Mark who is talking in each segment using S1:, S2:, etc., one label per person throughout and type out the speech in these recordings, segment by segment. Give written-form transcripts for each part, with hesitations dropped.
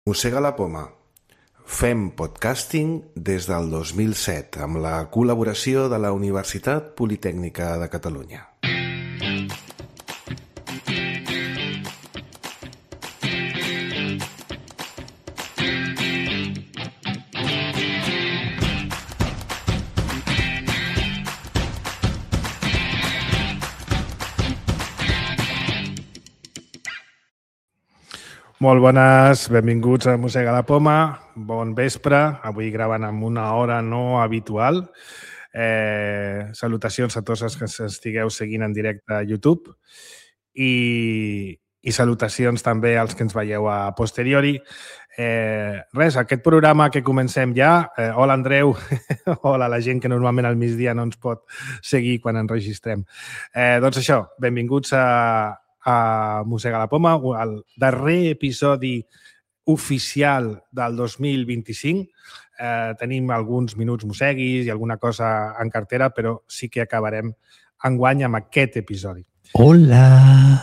S1: Mossega la poma. Fem podcasting des del 2007 amb la col·laboració de la Universitat Politècnica de Catalunya.
S2: Molt bones, benvinguts a Mossega la Poma, bon vespre, avui gravant amb una hora no habitual. Salutacions a tots els que estigueu seguint en directe a YouTube i salutacions també als que ens veieu a posteriori. Aquest programa que comencem ja. Hola, Andreu. Hola a la gent que normalment al migdia no ens pot seguir quan enregistrem. Doncs això, benvinguts a Mossega la Poma, el darrer episodi oficial del 2025. Tenim alguns minuts mosseguis i alguna cosa en cartera, però sí que acabarem enguany amb aquest episodi.
S3: Hola!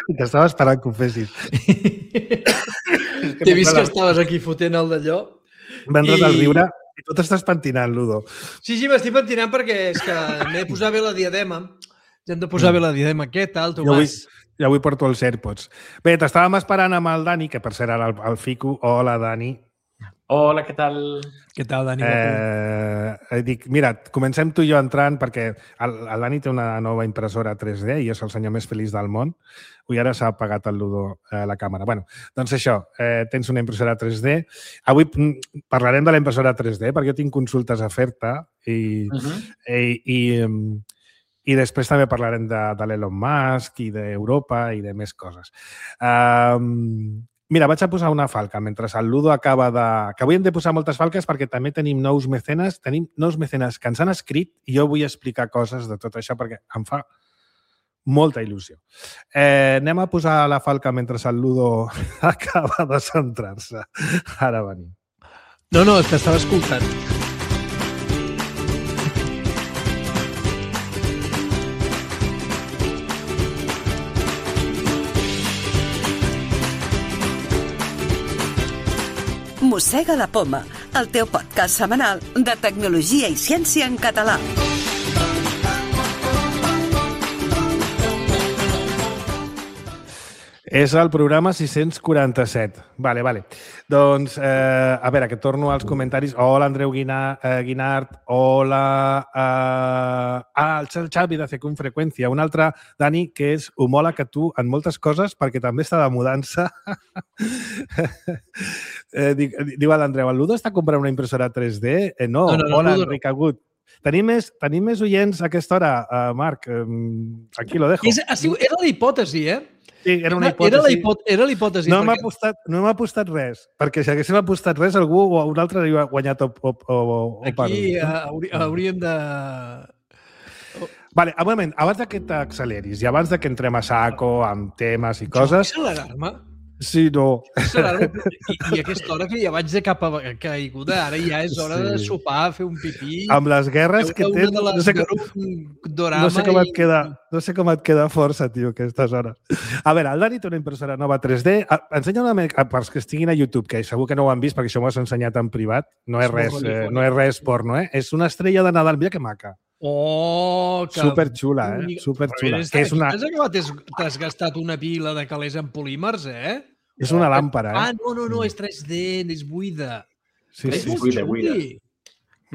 S2: T'estava esperant que ho fessis.
S3: T'he vist que estaves aquí fotent el d'allò.
S2: M'ha entrat al riure i tu t'estàs pentinant, Ludo.
S3: Sí, m'estic pentinant perquè és que m'he de posar bé la diadema. Ja hem de posar bé la diadema. Què tal, Tomàs?
S2: Jo avui porto els AirPods. Bé, t'estàvem esperant amb el Dani, que per cert ara el fico. Hola, Dani.
S4: Hola, què tal?
S3: Què tal, Dani?
S2: Dic, mira, comencem tu i jo entrant perquè el Dani té una nova impressora 3D i és el senyor més feliç del món. Avui ara s'ha apagat el Ludo la càmera. Bueno, doncs això, tens una impressora 3D. Avui parlarem de la impressora 3D perquè jo tinc consultes a fer-te i després també parlarem de l'Elon Musk i d'Europa i de més coses. Mira, vaig a posar una falca mentre el Ludo acaba de... Que avui hem de posar moltes falques perquè també tenim nous mecenes que ens han escrit i jo vull explicar coses de tot això perquè em fa molta il·lusió. Anem a posar la falca mentre el Ludo acaba de centrar-se. Ara venim.
S3: No, és que estava escoltant.
S5: Mossega la Poma, el teu podcast setmanal de tecnologia i ciència en català.
S2: És el programa 647. Vale. Doncs, a veure, que torno als comentaris. Hola, Andreu Guinart. Hola. El Xavi de Fecum Freqüència. Un altre, Dani, que és homòleg que tu en moltes coses perquè també està de mudança. Diu l'Andreu, el Ludo està comprant una impressora 3D? No. Hola, Enric Agut. Tenim més oients a aquesta hora, Marc. Aquí lo dejo.
S3: Era la hipòtesi,
S2: Sí, era una hipòtesi.
S3: Era la hipòtesi.
S2: No hem apostat res, perquè si haguéssim apostat res, algú o un altre hauria guanyat o
S3: aquí hauríem de...
S2: Vale, un moment, abans que t'acceleris i abans que entrem a saco amb temes i coses...
S3: Això és l'alarma?
S2: Sí, no.
S3: I a aquesta hora que ja vaig de cap a caiguda, ara ja és hora de sopar, fer un pipí...
S2: Amb les guerres que tens... No sé com et queda força, tio, aquestes hores. A veure, el Dani té una impressora nova 3D. Ensenya una mica, pels que estiguin a YouTube, que segur que no ho han vist perquè això m'ho has ensenyat en privat. No és res porno, És una estrella de Nadal. Mira que maca.
S3: Oh, que...
S2: Superxula, Superxula.
S3: T'has gastat una pila de calés en polímers,
S2: És una làmpara,
S3: No, és 3D, és buida.
S2: Sí,
S3: és
S2: buida. Hi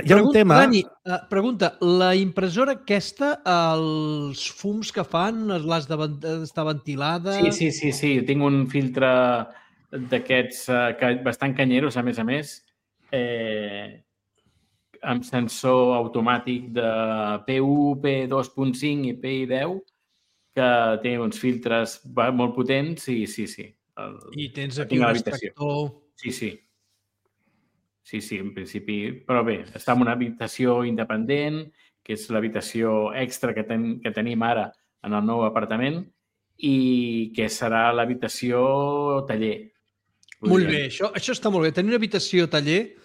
S2: ha un tema...
S3: Dani, pregunta, la impressora aquesta, els fums que fan, està ventilada?
S4: Sí. Tinc un filtre d'aquests bastant canyeros, a més, amb sensor automàtic de P1, P2.5 i PI10, que té uns filtres molt potents i sí.
S3: I tens aquí un extractor...
S4: Sí, en principi. Però bé, està en una habitació independent, que és l'habitació extra que tenim ara en el nou apartament i que serà l'habitació taller.
S3: Molt bé, això està molt bé. Tenir una habitació taller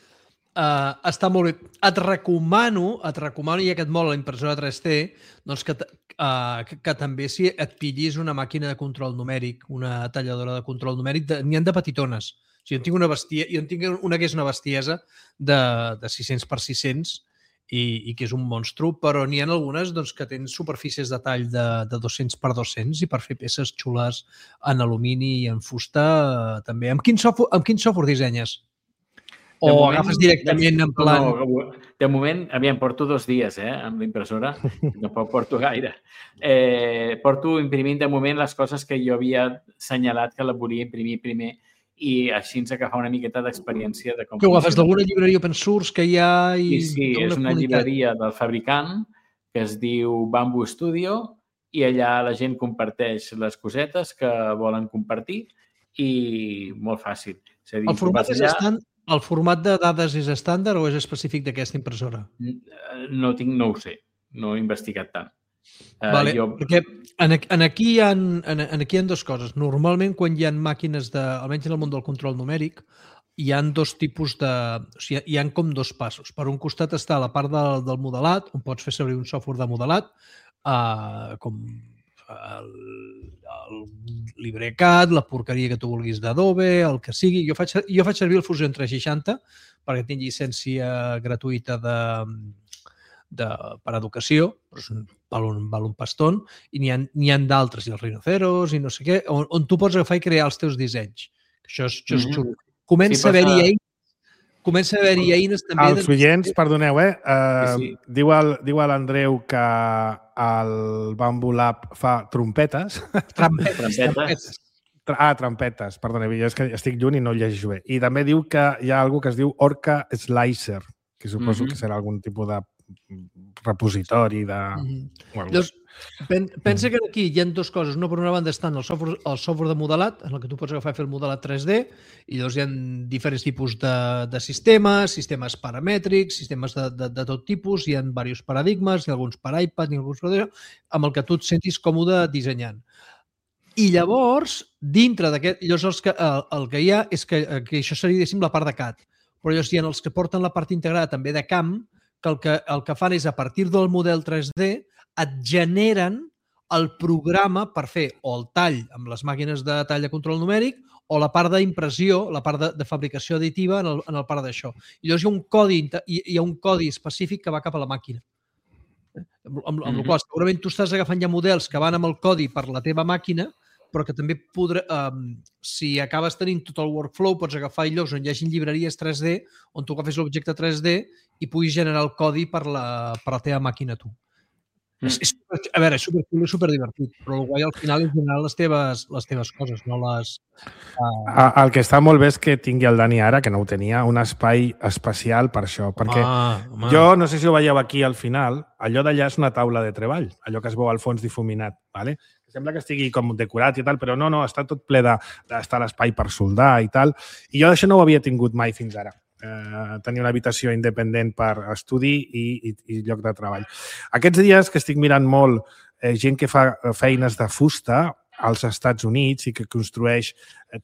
S3: Està molt bé. Et recomano, ja que et mola la impressora 3D, doncs que també si et pillis una màquina de control numèric, una talladora de control numèric, n'hi ha de petitones. O sigui, jo en tinc una que és una bestiesa de 600 per 600 i que és un monstru, però n'hi ha algunes doncs, que tenen superfícies de tall de 200 per 200 i per fer peces xules en alumini i en fusta també. Amb quin software dissenyes? O agafes directament en plan...
S4: No, de moment, aviam, porto 2 dies amb l'impressora, tampoc porto gaire. Porto imprimint de moment les coses que jo havia assenyalat que la volia imprimir primer i així ens agafar una miqueta d'experiència de com...
S3: Que ho agafes d'alguna llibreria open source que hi ha?
S4: Sí, és una llibreria del fabricant que es diu Bamboo Studio i allà la gent comparteix les cosetes que volen compartir i molt fàcil. És a dir,
S3: el format de dades és estàndard o és específic d'aquesta impressora?
S4: No ho sé. No he investigat tant.
S3: Perquè aquí hi ha 2 coses. Normalment, quan hi ha màquines, almenys en el món del control numèric, hi ha 2 tipus de... O sigui, hi ha com 2 passos. Per un costat està la part del modelat, on pots fer servir un software de modelat, com el LibreCAD, la porqueria que tu vulguis d'Adobe, el que sigui. Jo faig servir el Fusion 360 perquè tinc llicència gratuïta per educació, però val un paston, i n'hi ha d'altres, i els rinoceros, i no sé què, on tu pots agafar i crear els teus dissenys. Això és xulo. Comença a haver-hi eines també...
S2: Els oients, perdoneu, diu l'Andreu que el Bamboo Lab fa trompetes.
S3: Trompetes.
S2: Trompetes, perdoneu, jo és que estic lluny i no ho llegeixo bé. I també diu que hi ha alguna que es diu Orca Slicer, que suposo que serà algun tipus de repositori de...
S3: Llavors, pensa que aquí hi ha 2 coses. Una, per una banda, estan el software de modelat, en el que tu pots agafar i fer el modelat 3D, i llavors hi ha diferents tipus de sistemes paramètrics, sistemes de tot tipus, hi ha diversos paradigmes, hi ha alguns per iPad, amb el que tu et sentis còmode dissenyant. I llavors, dintre d'aquest... Llavors, el que hi ha és que això seria, diguéssim, la part de CAD. Però llavors hi ha els que porten la part integrada també de camp, que el que fan és, a partir del model 3D, et generen el programa per fer o el tall amb les màquines de tall de control numèric o la part d'impressió, la part de fabricació additiva en el part d'això. I llavors hi ha un codi específic que va cap a la màquina. Amb la qual segurament tu estàs agafant ja models que van amb el codi per la teva màquina, però que també si acabes tenint tot el workflow, pots agafar llocs on hi hagi llibreries 3D, on tu agafes l'objecte 3D i puguis generar el codi per la teva màquina tu. A veure, és superdivertit, però el guai al final és generar les teves coses, no les...
S2: El que està molt bé és que tingui el Dani ara, que no ho tenia, un espai especial per això, perquè jo, no sé si ho veieu aquí al final, allò d'allà és una taula de treball, allò que es veu al fons difuminat, ¿vale? Sembla que estigui com decorat i tal, però no, està tot ple d'estar l'espai per soldar i tal, i jo això no ho havia tingut mai fins ara. Tenir una habitació independent per estudi i lloc de treball. Aquests dies que estic mirant molt gent que fa feines de fusta als Estats Units i que construeix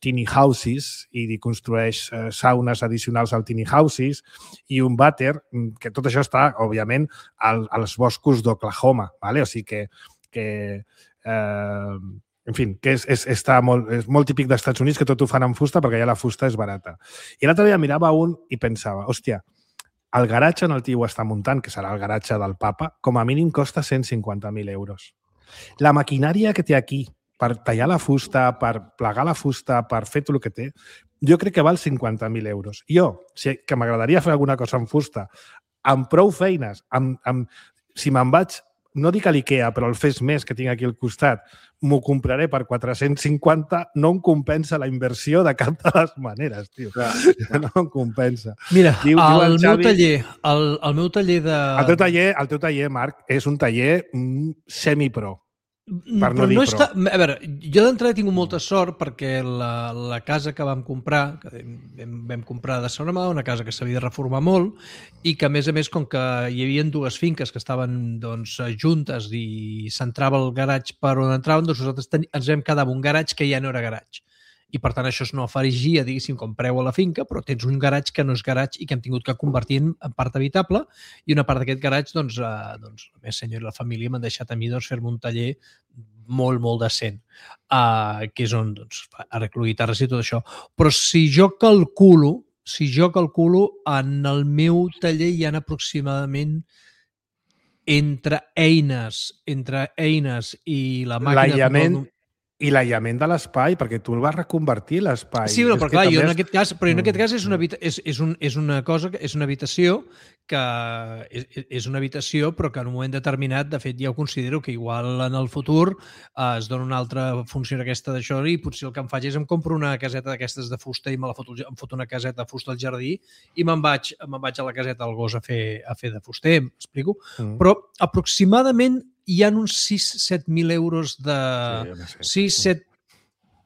S2: tiny houses i construeix saunes addicionals al tiny houses i un vàter, que tot això està, òbviament, als boscos d'Oklahoma, ¿vale? O sigui que en fi, que és molt típic dels Estats Units que tot ho fan amb fusta perquè allà la fusta és barata. I l'altre dia mirava un i pensava, hòstia, el garatge on el tio està muntant, que serà el garatge del papa, com a mínim costa 150.000 euros. La maquinària que té aquí per tallar la fusta, per plegar la fusta, per fer tot el que té, jo crec que val 50.000 euros. Jo, que m'agradaria fer alguna cosa amb fusta, amb prou feines, si me'n vaig, no dic a l'IKEA, però el Fes Més que tinc aquí al costat, m'ho compraré per 450, no em compensa la inversió de cap de les maneres, tio. No em compensa.
S3: Mira, el meu taller de...
S2: El teu taller, Marc, és un taller semi-pro.
S3: Però no està... A veure, jo d'entrada he tingut molta sort perquè la casa que vam comprar, que vam comprar de segona mà, una casa que s'havia de reformar molt i que, a més, com que hi havia 2 finques que estaven juntes i s'entrava el garatge per on entraven, doncs nosaltres ens vam quedar amb un garatge que ja no era garatge. i per tant això es no aferigia, diguéssim, com preu a la finca, però tens un garatge que no és garatge i que hem tingut que convertir en part habitable, i una part d'aquest garatge, doncs, la meva senyora i la família m'han deixat a mi fer-me un taller molt, molt decent, que és on arreglo guitarres i tot això. Però si jo calculo, en el meu taller hi ha aproximadament entre eines i la màquina...
S2: I l'aïllament de l'espai, perquè tu el vas reconvertir, l'espai.
S3: Sí, però clar, jo en aquest cas és una cosa, és una habitació que és una habitació, però que en un moment determinat, de fet, ja ho considero que igual en el futur es dona una altra funció aquesta d'això i potser el que em faig és em compro una caseta d'aquestes de fusta i em foto una caseta de fusta al jardí i me'n vaig a la caseta del gos a fer de fuster, m'explico? Però aproximadament hi ha uns 6-7.000 euros de... 6-7,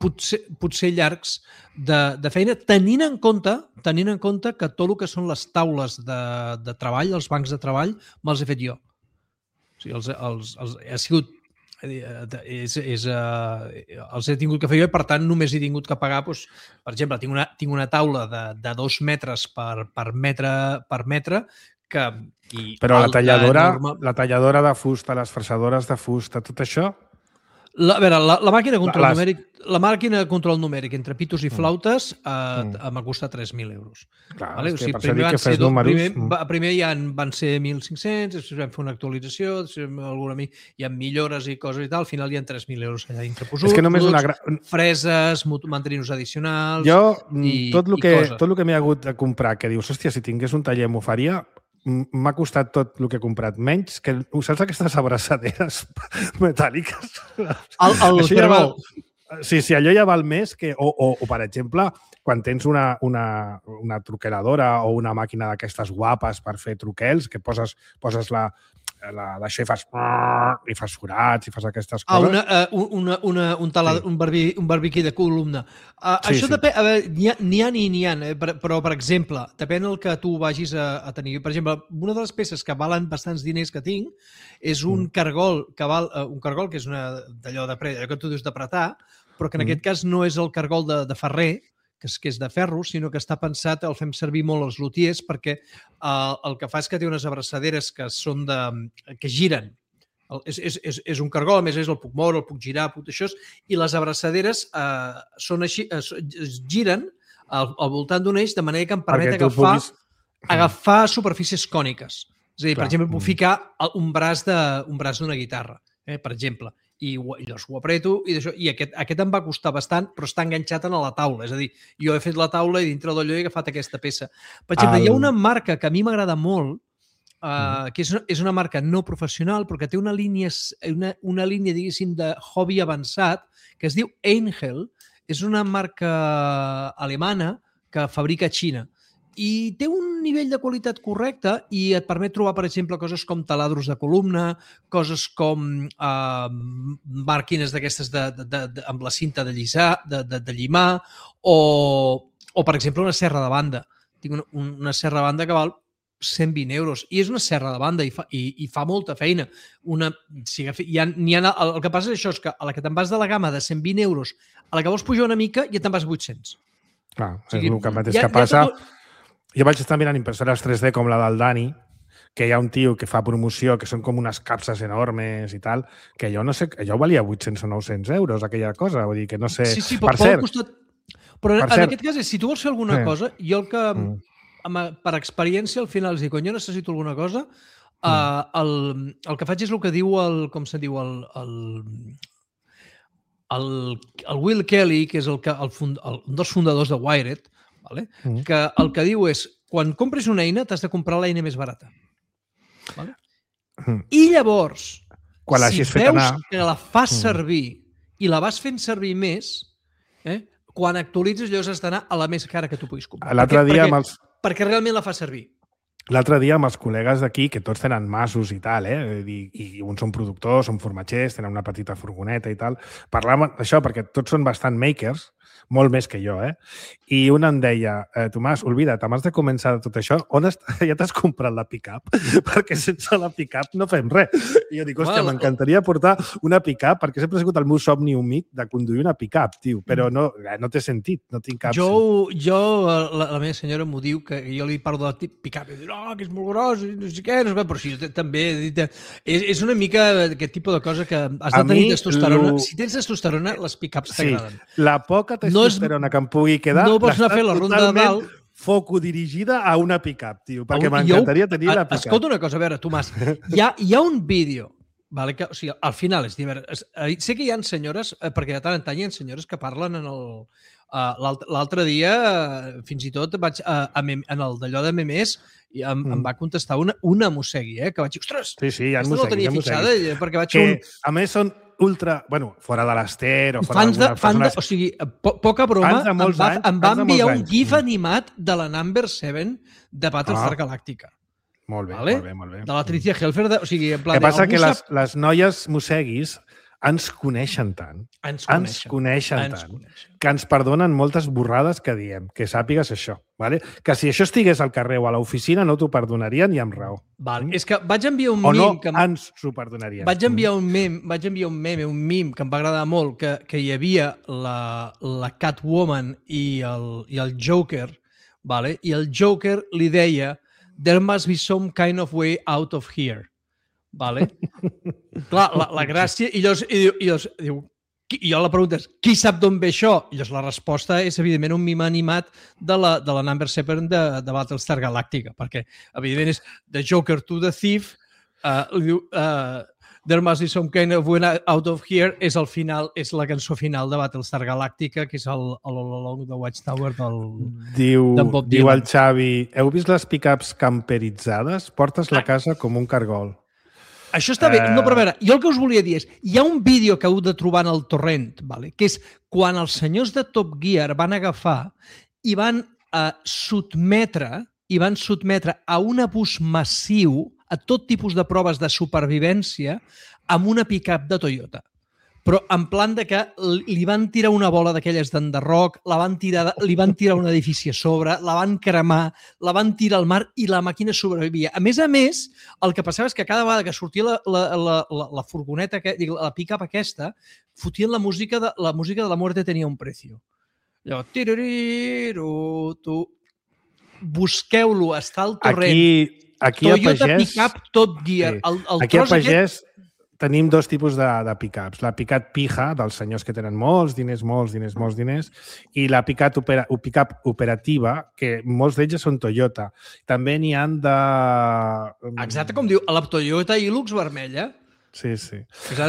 S3: potser llargs de feina, tenint en compte que tot el que són les taules de treball, els bancs de treball, me'ls he fet jo. O sigui, ha sigut... els he tingut que fer jo i, per tant, només he tingut que pagar, doncs, per exemple, tinc una taula de 2 metres per metre que...
S2: Però la talladora de fusta, les fresadores de fusta, tot això...
S3: A veure, la màquina de control numèric entre pitos i flautes m'ha costat 3.000 euros.
S2: Clar,
S3: vale?
S2: és que per això dic que fes números...
S3: Primer van ser 1.500, després vam fer una actualització, hi ha millores i coses i tal, al final hi ha 3.000 euros allà interposats.
S2: És que només
S3: freses, mantenir-nos addicionals...
S2: Jo, tot el que m'he hagut de comprar, que dius, hòstia, si tingués un taller m'ho faria, m'ha costat tot el que he comprat, menys que, saps aquestes abraçaderes metàl·liques?
S3: El cargol.
S2: Sí, allò ja val més que... O per exemple, quan tens una truqueradora o una màquina d'aquestes guapes per fer truquels, que poses d'això i fas forats i fas aquestes coses.
S3: Un barbiquí de columna. Això depèn, a veure, n'hi ha, però, per exemple, depèn el que tu vagis a tenir. Per exemple, una de les peces que valen bastants diners que tinc és un cargol que és d'allò que tu dius d'apretar, però que en aquest cas no és el cargol de ferrer, que és de ferro, sinó que està pensat, el fem servir molt els lutiers, perquè el que fa és que té unes abraçaderes que giren. És un cargol, a més el puc moure, el puc girar, això, i les abraçaderes són així, es giren al voltant d'un eix, de manera que em permet agafar superfícies còniques. És a dir, per exemple, puc ficar un braç d'una guitarra, per exemple, i llavors ho apreto, i aquest em va costar bastant, però està enganxat a la taula. És a dir, jo he fet la taula i dintre d'allò he agafat aquesta peça. Per exemple, hi ha una marca que a mi m'agrada molt, que és una marca no professional, però que té una línia, diguéssim, de hobby avançat, que es diu Angel. És una marca alemana que fabrica a Xina. I té un nivell de qualitat correcte i et permet trobar, per exemple, coses com taladros de columna, coses com màquines d'aquestes amb la cinta de llisar, de llimar, o, per exemple, una serra de banda. Tinc una serra de banda que val 120 euros. I és una serra de banda i fa molta feina. El que passa és això, és que a la que te'n vas de la gamma de 120 euros, a la que vols pujar una mica ja te'n vas a 800.
S2: Clar, és el mateix que passa... Jo vaig estar mirant impressores 3D com la del Dani, que hi ha un tio que fa promoció, que són com unes capses enormes i tal, que jo no sé, allò valia 800 o 900 euros, aquella cosa, vull dir que no sé...
S3: Sí, per cert... Però en aquest cas, si tu vols fer alguna cosa, jo el que, per experiència, al final, és dir, quan jo necessito alguna cosa, el que faig és el que diu com se diu, el Will Kelly, que és un dels fundadors de Wired, vale? Que el que diu és, quan compres una eina, t'has de comprar l'eina més barata. Vale? I llavors, si veus que la fas servir i la vas fent servir més, quan actualitzes, llavors has d'anar a la més cara que tu puguis comprar.
S2: L'altre dia
S3: perquè realment la fas servir.
S2: l'altre dia amb els col·legues d'aquí, que tots tenen masos i tal, i uns són productors, són formatgers, tenen una petita furgoneta i tal, parlàvem d'això perquè tots són bastant makers, molt més que jo, I un em deia, Tomàs, oblida't, abans de començar tot això, on està? Ja t'has comprat la pick-up? Perquè sense la pick-up no fem res. I jo dic, hòstia, m'encantaria portar una pick-up, perquè sempre ha sigut el meu somni humit de conduir una pick-up, tio, però no té sentit, no tinc cap...
S3: La meva senyora m'ho diu, que jo li parlo de la pick-up, i diu, que és molt gros, no sé què, però sí, també és una mica aquest tipus de cosa que has de tenir testosterona. Si tens testosterona, les pick-ups t'agraden.
S2: La poca testosterona que em pugui quedar...
S3: No pots anar a fer la ronda de dalt...
S2: foco dirigida a una pick-up, tio, perquè m'encantaria tenir la pick-up.
S3: Escolta una cosa, a veure, Tomàs, hi ha un vídeo, vale, que, o sigui, al final és divers. Sé que hi ha senyores, perquè de tant en tant hi ha senyores que parlen en el... L'altre dia, fins i tot, vaig en el d'allò de memes, i em va contestar una mossegui, que vaig dir, ostres,
S2: sí, hi ha
S3: no la tenia fixada, perquè vaig fer un...
S2: A més, són ultra... Bueno, fora de l'Ester o fora d'algunes persones...
S3: O sigui, poca broma, em va enviar un gif animat de la Number 7 de Battlestar Galàctica.
S2: Molt bé,
S3: vale?
S2: molt bé.
S3: De la Tricia Helfer, o sigui, en plan...
S2: El que passa que les noies mosseguis ens coneixen tant, que ens perdonen moltes borrades que diem, que sàpigues això. Vale? Que si això estigués al carrer o a l'oficina no t'ho perdonarien i amb raó.
S3: Vale. És que vaig enviar un
S2: meme... O
S3: no,
S2: ens s'ho perdonarien.
S3: Vaig enviar un meme que em va agradar molt, que hi havia la Catwoman i el Joker, vale? I el Joker li deia "There must be some kind of way out of here". Vale? Clar, la gràcia... I jo la pregunta és, qui sap d'on ve això? I la resposta és, evidentment, un mime animat de la Number 7 de Battlestar Galàctica, perquè, evidentment, és The Joker to the Thief, There must be some kind of way out of here, és el final, és la cançó final de Battlestar Galàctica, que és el All Along the Watchtower d'en Bob Dylan.
S2: Diu el Xavi, heu vist les pick-ups camperitzades? Portes la casa com un cargol.
S3: Això està bé. No, però a veure, jo el que us volia dir és, hi ha un vídeo que heu de trobar en el torrent, vale? Que és quan els senyors de Top Gear van agafar i van sotmetre a un abús massiu a tot tipus de proves de supervivència amb una pick-up de Toyota. Però en plan de que li van tirar una bola d'aquelles d'enderroc, li van tirar un edifici a sobre, la van cremar, la van tirar al mar i la màquina sobrevivia. A més, el que passava és que cada vegada que sortia la furgoneta, la pick-up aquesta, fotien la música de La muerte tenía un precio. Allò, busqueu-lo, està al torrent.
S2: Aquí
S3: Toyota Pick-up Top Gear.
S2: Aquí a Pagès tenim dos tipus de pick-ups. La pick-up pija, dels senyors que tenen molts diners, i la pick-up operativa, que molts d'ells són Toyota. També n'hi han de...
S3: Exacte, com diu, la Toyota Hilux vermella.
S2: Sí.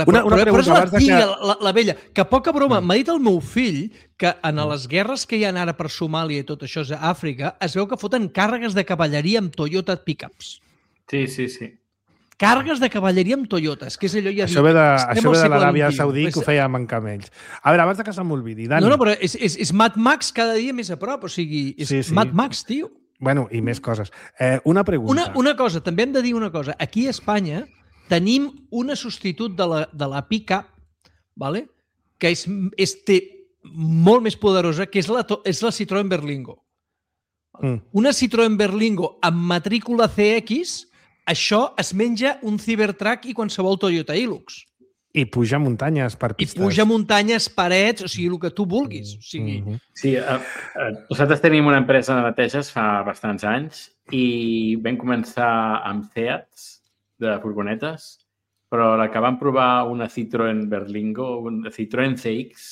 S3: Una pregunta, però és la vella, que poca broma, m'ha dit el meu fill que en les guerres que hi ha ara per Somàlia i tot això és a Àfrica, es veu que foten càrregues de cavalleria amb Toyota pick-ups.
S4: Sí.
S3: Càrregues de cavalleria amb Toyotes, que és allò ja...
S2: Això ve de l'Aràbia Saudí, que ho fèiem amb camells. A veure, abans que se'm oblidi, Dani...
S3: No, però és Mad Max cada dia més a prop, o sigui, és Mad Max, tio.
S2: Bueno, i més coses. Una pregunta.
S3: Una cosa, també hem de dir una cosa. Aquí a Espanya tenim una substitut de la pick-up, vale? Que és molt més poderosa, que és la Citroën Berlingo. Una Citroën Berlingo amb matrícula CX... Això es menja un Cybertruck i qualsevol Toyota Hilux.
S2: I puja muntanyes per pistes.
S3: I puja muntanyes, parets, o sigui, el que tu vulguis. O sigui...
S4: Sí, nosaltres tenim una empresa de neteges fa bastants anys i vam començar amb Seats de furgonetes, però la que vam provar una Citroën Berlingo, una Citroën CX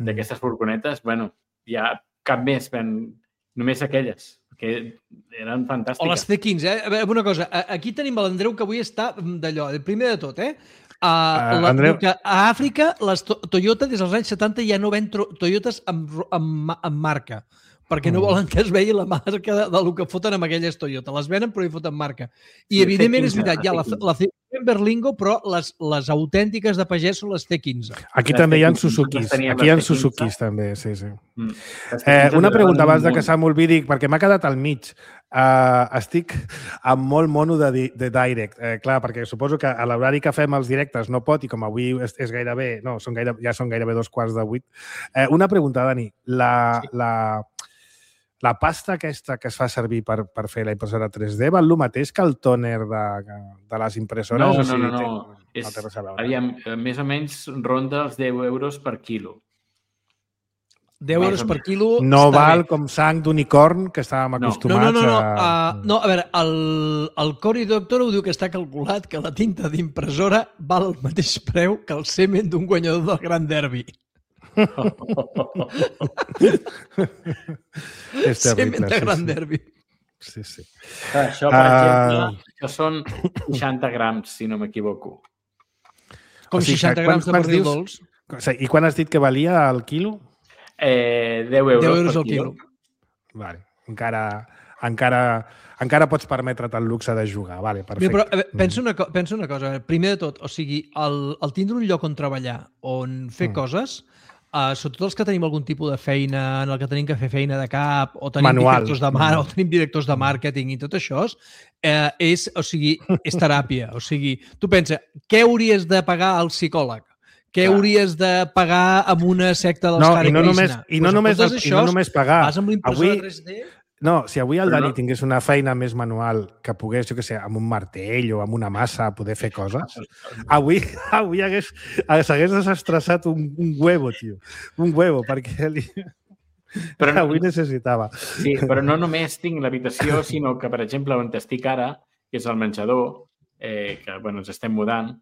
S4: d'aquestes furgonetes, bueno, ja cap més, només aquelles, que eren fantàstiques.
S3: O les C15, una cosa, aquí tenim l'Andreu que avui està d'allò, primer de tot, Andreu, que a Àfrica les Toyota des dels anys 70 ja no ven Toyotes amb marca, perquè no volen que es vegi la marca del que foten amb aquelles Toyota. Les venen però hi foten marca. I evidentment és veritat, hi ha la Berlingo, però les autèntiques de pagès són les T15.
S2: Aquí també hi ha Suzukis. Aquí hi ha Suzukis també, sí. Una pregunta abans que se m'oblidi, perquè m'ha quedat al mig. Estic amb molt mono de direct. Clar, perquè suposo que a l'horari que fem els directes no pot, i com avui és gairebé... No, ja són gairebé 2:15. Una pregunta, Dani. La pasta aquesta que es fa servir per fer la impressora 3D val el mateix que el tòner de les impressores?
S4: No. Aviam, més o menys ronda els 10 euros per quilo.
S3: 10 euros per quilo...
S2: No val com sang d'unicorn, que estàvem acostumats
S3: a... No, a veure, el Cory Doctorow diu que està calculat que la tinta d'impressora val el mateix preu que el semen d'un guanyador del Gran Derby.
S2: És terrible.
S3: Semen de Gran Derby.
S2: Sí.
S4: Això, per exemple, això són 60 grams, si no m'equivoco.
S3: Com 60 grams de pernil dolç.
S2: I quan has dit que valia el quilo?
S4: 10 euros
S3: al quilo.
S2: Vale. Encara pots permetre't el luxe de jugar. Vale, perfecte.
S3: Però pensa una cosa. Primer de tot, o sigui, el tindre un lloc on treballar, on fer coses, sobretot els que tenim algun tipus de feina en el que tenim que fer feina de cap, o tenim directors de màrqueting i tot això, és teràpia. O sigui, tu pensa, què hauries de pagar al psicòleg? Què hauries de pagar amb una secta dels Hare Krishna?
S2: I no només pagar.
S3: Vas amb l'impressora 3D...
S2: No, si avui el Dani tingués una feina més manual que pogués, jo què sé, amb un martell o amb una massa poder fer coses, avui s'hagués desestressat un huevo, tio. Un huevo, perquè avui necessitava.
S4: Sí, però no només tinc l'habitació, sinó que, per exemple, on estic ara, que és el menjador, que ens estem mudant,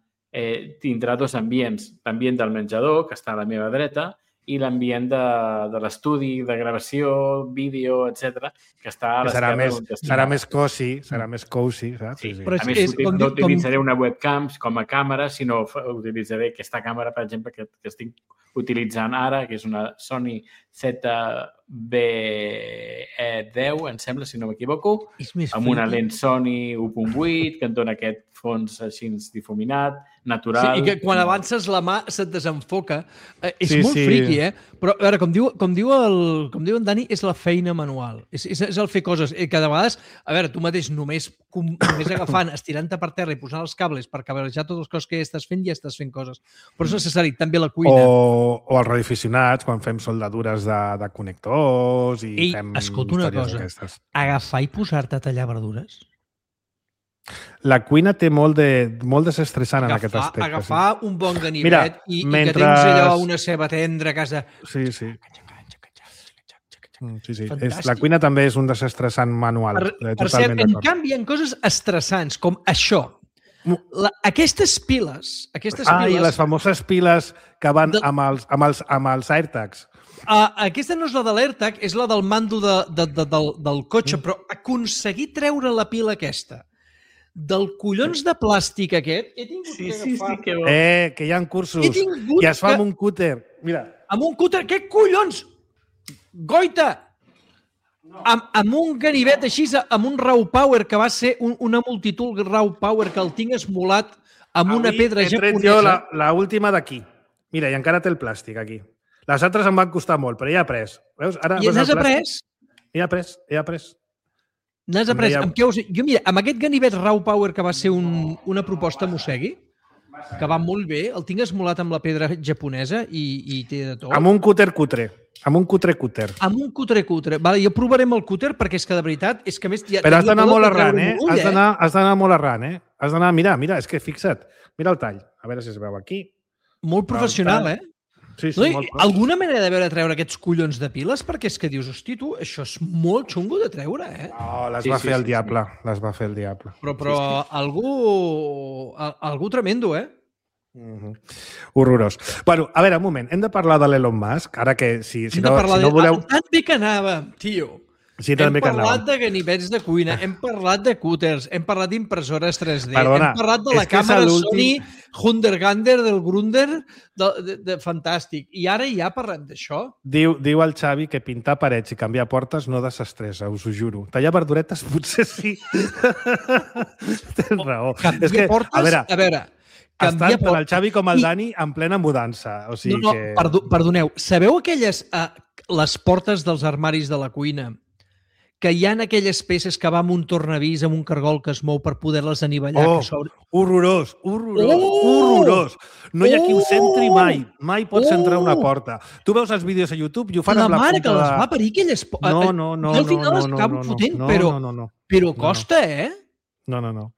S4: tindrà dos ambients. L'ambient del menjador, que està a la meva dreta, i l'ambient de l'estudi, de gravació, vídeo, etc, que està a l'esquerra.
S2: Serà més cozy, saps?
S4: Sí. A més, no utilitzaré una webcam com a càmera, sinó utilitzaré aquesta càmera, per exemple, que estic utilitzant ara, que és una Sony ZV-E10, em sembla, si no m'equivoco, amb una lent Sony 1.8, que et dona aquest fons així difuminat, natural.
S3: Sí, i que quan avances la mà se't desenfoca. És molt friqui, Però, a veure, com diu en Dani, és la feina manual. És el fer coses. Que de vegades, a veure, tu mateix només agafant, estirant-te per terra i posant els cables per cabrejar totes les coses que ja estàs fent coses. Però és necessari també la cuina.
S2: O els radioaficionats, quan fem soldadures de connectors i fem
S3: escolta una cosa,
S2: aquestes.
S3: Agafar i posar-te a tallar verdures?
S2: La cuina té molt desestressant en aquest aspecte.
S3: Agafar un bon ganivet i que tens allò una ceba tendra a casa.
S2: Sí. La cuina també és un desestressant manual.
S3: Per cert, en canvi, hi ha coses estressants, com això. Aquestes piles...
S2: I les famoses piles que van amb els AirTags.
S3: Aquesta no és la de l'AirTag, és la del mando del cotxe, però aconseguir treure la pila aquesta del collons de plàstic aquest, he tingut que agafar...
S2: Que bo. Que hi ha cursos i es fa amb un cúter. Mira.
S3: Amb un cúter? Què collons? Goita! Amb un ganivet així, amb un Raw Power, que va ser una multitud Raw Power, que el tinc esmolat amb una pedra japonesa.
S2: He tret jo l'última d'aquí. Mira, i encara té el plàstic aquí. Les altres em van costar molt, però ja he après. Veus?
S3: I n'has après?
S2: He après.
S3: N'has après? Jo, mira, amb aquest ganivet Raw Power, que va ser una proposta Mosegui, que va molt bé, el tinc esmolat amb la pedra japonesa i té de tot.
S2: Amb un cutre. Amb un cutre.
S3: Amb un cutre. Vale, jo provaré amb el cúter, perquè és que de veritat... És que més,
S2: però has d'anar molt arran, Has d'anar molt arran, Has d'anar... Mira, és que fixa't. Mira el tall. A veure si es veu aquí.
S3: Molt professional,
S2: Sí,
S3: molt alguna manera de veure treure aquests collons de piles? Perquè és que dius, hosti, tu, això és molt xungo de treure,
S2: No, les va fer el diable. Les va fer el diable.
S3: Però algú tremendo,
S2: Horrorós. Bueno, a veure, un moment. Hem de parlar de l'Elon Musk, ara que si no voleu...
S3: Tan bé que anava, tio.
S2: Sí,
S3: hem parlat de ganivets de cuina, hem parlat de cúters, hem parlat d'impressores 3D, hem parlat de la càmera Sony Hundergander del Grunder, fantàstic. I ara ja parlem d'això.
S2: Diu el Xavi que pintar parets i canviar portes no desestressa, us ho juro. Tallar verduretes potser sí. Tens raó.
S3: Canviar portes, a veure...
S2: Tant el Xavi com el Dani en plena mudança. O sigui
S3: perdoneu. Sabeu aquelles les portes dels armaris de la cuina que hi ha aquelles peces que va amb un tornavís, amb un cargol que es mou per poder-les anivellar.
S2: Horrorós. No hi ha qui ho centri mai. Mai pots centrar una porta. Tu veus els vídeos a YouTube i ho fan amb la punta de...
S3: La mare que les va parir, aquelles...
S2: No.
S3: Al final les acabo fotent, però costa,
S2: No.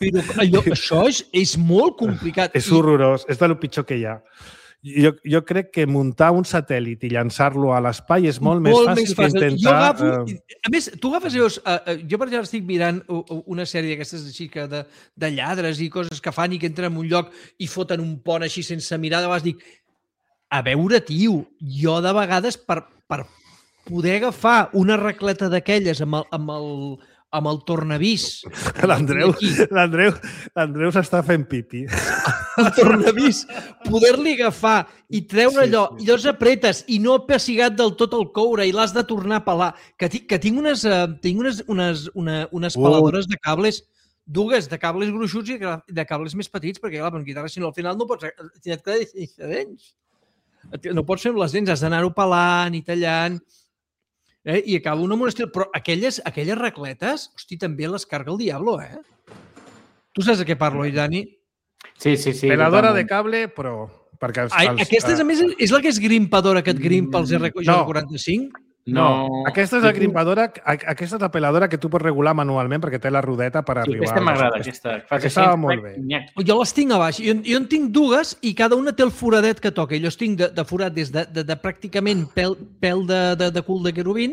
S3: Però això és molt complicat.
S2: És horrorós. És del pitjor que hi ha. Jo crec que muntar un satèl·lit i llançar-lo a l'espai és molt més fàcil que intentar...
S3: A més, tu agafes i veus... Jo, per exemple, estic mirant una sèrie d'aquestes així de lladres i coses que fan i que entren en un lloc i foten un pont així sense mirar. De vegades dic, a veure, tio, jo de vegades per poder agafar una racleta d'aquelles amb el tornavís...
S2: L'Andreu s'està fent pipi.
S3: El tornavís, poder-li agafar i treure allò, i llavors apretes i no ha pessigat del tot el coure i l'has de tornar a pelar. Que tinc unes peladores de cables, dues de cables gruixuts i de cables més petits, perquè clar, amb guitarra, si no, al final no pots... Et queda sense dents. No pots fer amb les dents, has d'anar-ho pelant i tallant... I acaba un amb un estil... Però aquelles racletes, hosti, també les carga el diablo, Tu saps de què parlo, Dani?
S4: Sí.
S2: Peladora de cable, però...
S3: Aquesta, a més, és la que és grimpadora, que et grimpa els R45?
S2: No. Aquesta és la grimpadora, aquesta és la peladora que tu pots regular manualment perquè té la rodeta per arribar...
S4: Aquesta m'agrada,
S2: aquesta va molt bé.
S3: Jo les tinc a baix. Jo en tinc dues i cada una té el foradet que toca. Jo els tinc de forat des de pràcticament pèl de cul de querubín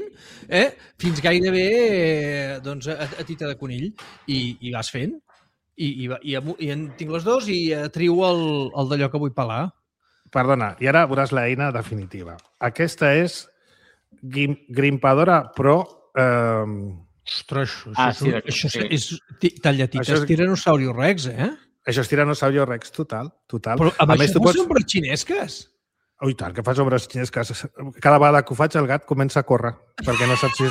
S3: fins gairebé a tita de conill. I vas fent. I en tinc les dues i trio el d'allò que vull pelar.
S2: Perdona, i ara veuràs l'eina definitiva. Aquesta és Grimpadora Pro...
S3: Ostres, això és tallatites Tiranosaurio Rex,
S2: Això és Tiranosaurio Rex total.
S3: Però amb això fas ombres xinesques?
S2: Oh, i tant, que fas ombres xinesques. Cada vegada que ho faig el gat comença a córrer, perquè no saps si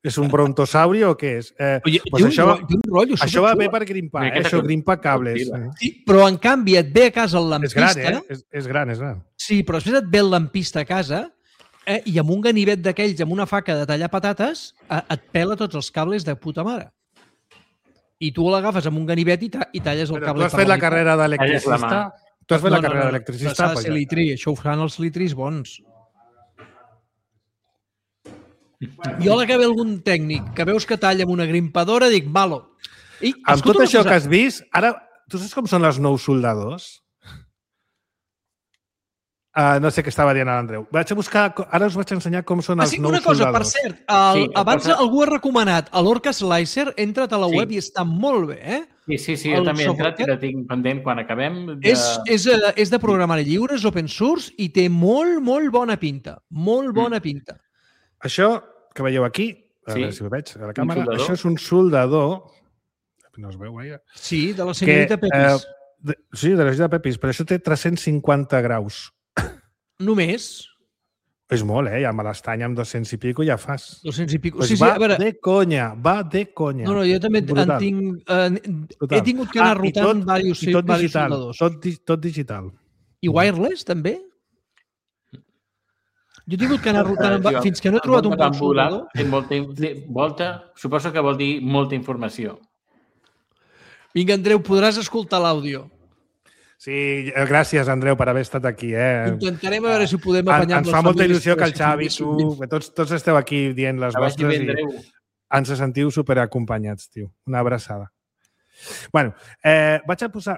S2: és un brontosauri o què és. Això va bé per grimpar, això grimpa cables.
S3: Sí, però en canvi et ve a casa el lampista...
S2: És gran.
S3: Sí, però després et ve el lampista a casa i amb un ganivet d'aquells, amb una faca de tallar patates, et pela tots els cables de puta mare. I tu l'agafes amb un ganivet i talles el cable.
S2: Tu has fet la carrera d'electricista? Tu has fet la carrera d'electricista?
S3: S'ha de ser litri, això ho fan els litris bons. Jo a la que ve algun tècnic que veus que talla amb una grimpadora, dic, malo.
S2: Amb tot això que has vist, ara, tu saps com són els nous soldadors? No sé què estava dient l'Andreu. Vaig a buscar... Ara us vaig ensenyar com són els nous soldadors.
S3: Una cosa, per cert, abans algú ha recomanat l'Orca Slicer, entra't a la web i està molt bé,
S4: Sí, jo també he entrat i la tinc pendent quan acabem.
S3: És de programari lliure, és open source i té molt bona pinta. Molt bona pinta.
S2: Això que veieu aquí, a veure si ho veig a la càmera, això és un soldador... No es veu gaire.
S3: Sí, de la senyorita Pepis.
S2: Sí, de la senyorita Pepis, però això té 350 graus.
S3: Només?
S2: És molt, ja me l'estany amb 200 i pico ja fas.
S3: 200 i pico.
S2: Pues va de conya. No,
S3: jo també en tinc... He tingut que anar rotant diversos soldadors.
S2: Tot digital.
S3: I wireless, també? Jo he tingut que anar rotant fins que no he trobat un bon soldador.
S4: Suposo que vol dir molta informació.
S3: Vinga, Andreu, podràs escoltar l'àudio.
S2: Sí, gràcies, Andreu, per haver estat aquí.
S3: Intentarem a veure si podem apanyar...
S2: Ens fa molta il·lusió que el Xavi, tu, tots esteu aquí dient les vostres i ens sentiu superacompanyats, tio. Una abraçada. Bueno, vaig a posar...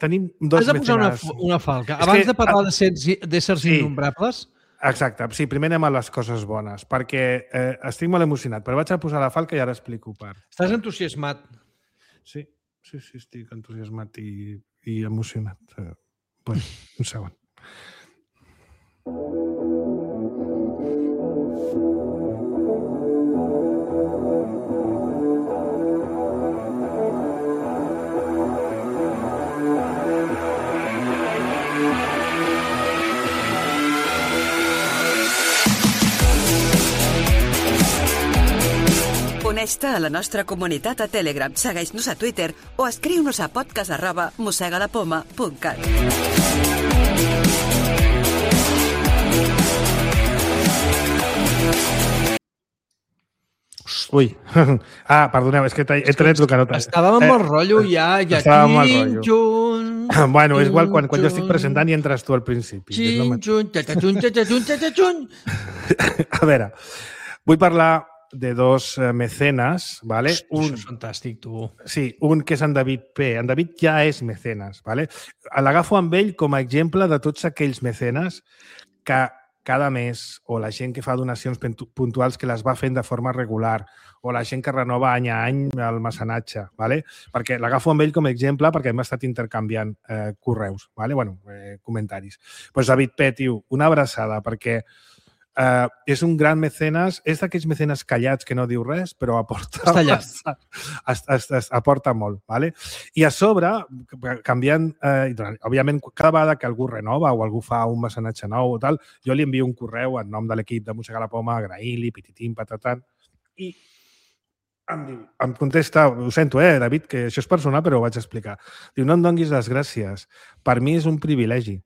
S2: Tenim dos
S3: mecenes. Has de posar una falca. Abans de parlar d'éssers innombrables...
S2: Exacte. Sí, primer anem a les coses bones, perquè estic molt emocionat, però vaig a posar la falca i ara explico per...
S3: Estàs entusiasmat.
S2: Sí, estic entusiasmat i emocionat. Bueno, un segon.
S5: Uneix-te a la nostra comunitat a Telegram, segueix-nos a Twitter o escriu-nos a podcast@mossegalapoma.cat.
S2: Ui. Perdoneu, és que he tret el que no...
S3: Estàvem amb el rotllo ja.
S2: Estàvem amb el rotllo. Bueno, és igual quan jo estic presentant i entres tu al principi. A veure, vull parlar de dos mecenes, ¿vale?
S3: Això és fantàstic, tu.
S2: Sí, un que és en David P. En David ja és mecenes, ¿vale? L'agafo amb ell com a exemple de tots aquells mecenes que cada mes, o la gent que fa donacions puntuals que les va fent de forma regular, o la gent que renova any a any el mecenatge, ¿vale? Perquè l'agafo amb ell com a exemple perquè hem estat intercanviant correus, ¿vale? Bueno, comentaris. Pues David P, tio, una abraçada, perquè és un gran mecenes, és d'aquells mecenes callats que no diu res, però aporta molt. ¿Vale? I a sobre, canviant, òbviament, cada vegada que algú renova o algú fa un mecenatge nou o tal, jo li envio un correu en nom de l'equip de Mossegar la Poma, agraint-li, pititim, patatant, i em contesta, ho sento, David, que això és personal, però ho vaig explicar. Diu, no em donguis les gràcies. Per mi és un privilegi.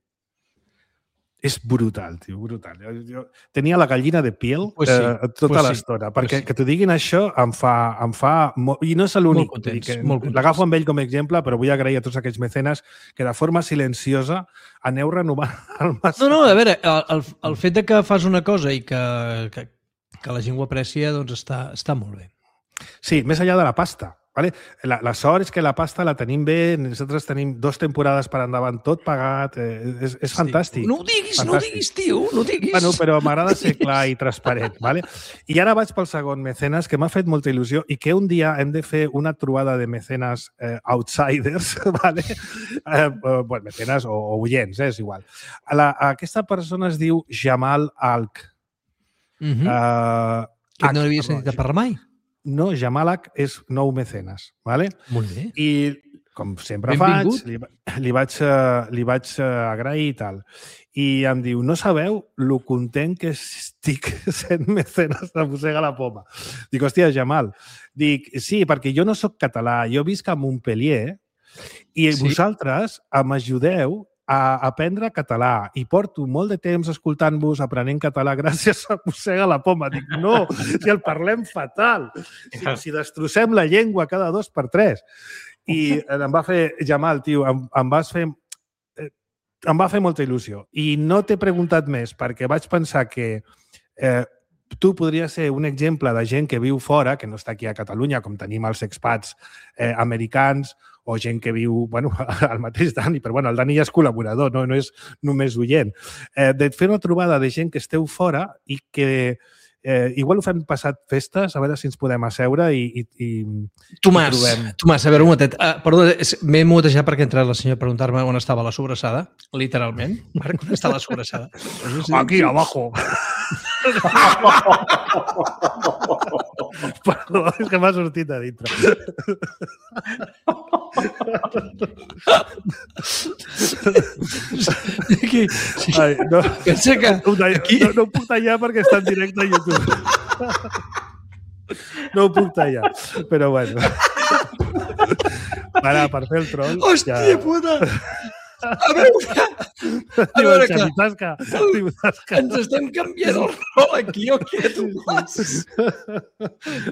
S2: És brutal, tio, brutal. Jo tenia la gallina de piel tota l'estona, perquè que t'ho diguin això em fa molt... I no és l'únic. L'agafo amb ell com a exemple, però vull agrair a tots aquells mecenes que de forma silenciosa aneu renovant el massa.
S3: No, a veure, el fet de que fas una cosa i que la gent ho aprecia, doncs està molt bé.
S2: Sí, més enllà de la pasta. ¿Vale? La sort és que la pasta la tenim bé, nosaltres tenim 2 temporades per endavant, tot pagat, és fantàstic.
S3: No ho diguis, tio, no ho diguis.
S2: Bueno, però m'agrada ser clar i transparent, ¿vale? I ara vaig pel segon mecenes, que m'ha fet molta il·lusió i que un dia hem de fer una trobada de mecenes outsiders, ¿vale? Bueno, mecenes o oients, és igual. Aquesta persona es diu Jamal Alk.
S3: Que no l'havia sentit a parlar mai?
S2: No, Jamalak és nou mecenes, ¿vale?
S3: Molt bé.
S2: I, com sempre faig, li vaig agrair i tal. I em diu, no sabeu lo content que estic sent mecenes de Mossegar la Poma. Dic, hòstia, Jamal. Dic, sí, perquè jo no sóc català, jo visc a Montpellier i vosaltres m'ajudeu a aprendre català i porto molt de temps escoltant-vos, aprenent català gràcies a Mossegar la Poma. Dic, no, si el parlem fatal, si destrossem la llengua cada 2 per 3. I em va fer, Jamal, tio, em va fer molta il·lusió. I no t'he preguntat més perquè vaig pensar que tu podries ser un exemple de gent que viu fora, que no està aquí a Catalunya, com tenim els expats americans, o gent que viu, bueno, el mateix Dani, però bueno, el Dani ja és col·laborador, no és només oient. De fer una trobada de gent que esteu fora i que igual ho fem passat festes, a veure si ens podem asseure i
S3: Tomàs, a veure un momentet. Perdó, m'he mutejat perquè ha entrat la senyora a preguntar-me on estava la sobrassada, literalment. Marc, on està la sobrassada?
S2: Aquí, abajo. Perdó, és que m'ha sortit a dintre. Ai, no.
S3: Pensa que...
S2: No ho puc tallar perquè està en directe a YouTube. No ho puc tallar, però bueno. Ara, per fer el troll...
S3: Hòstia puta! A veure que ens estem canviant el rol aquí o què, Tomàs?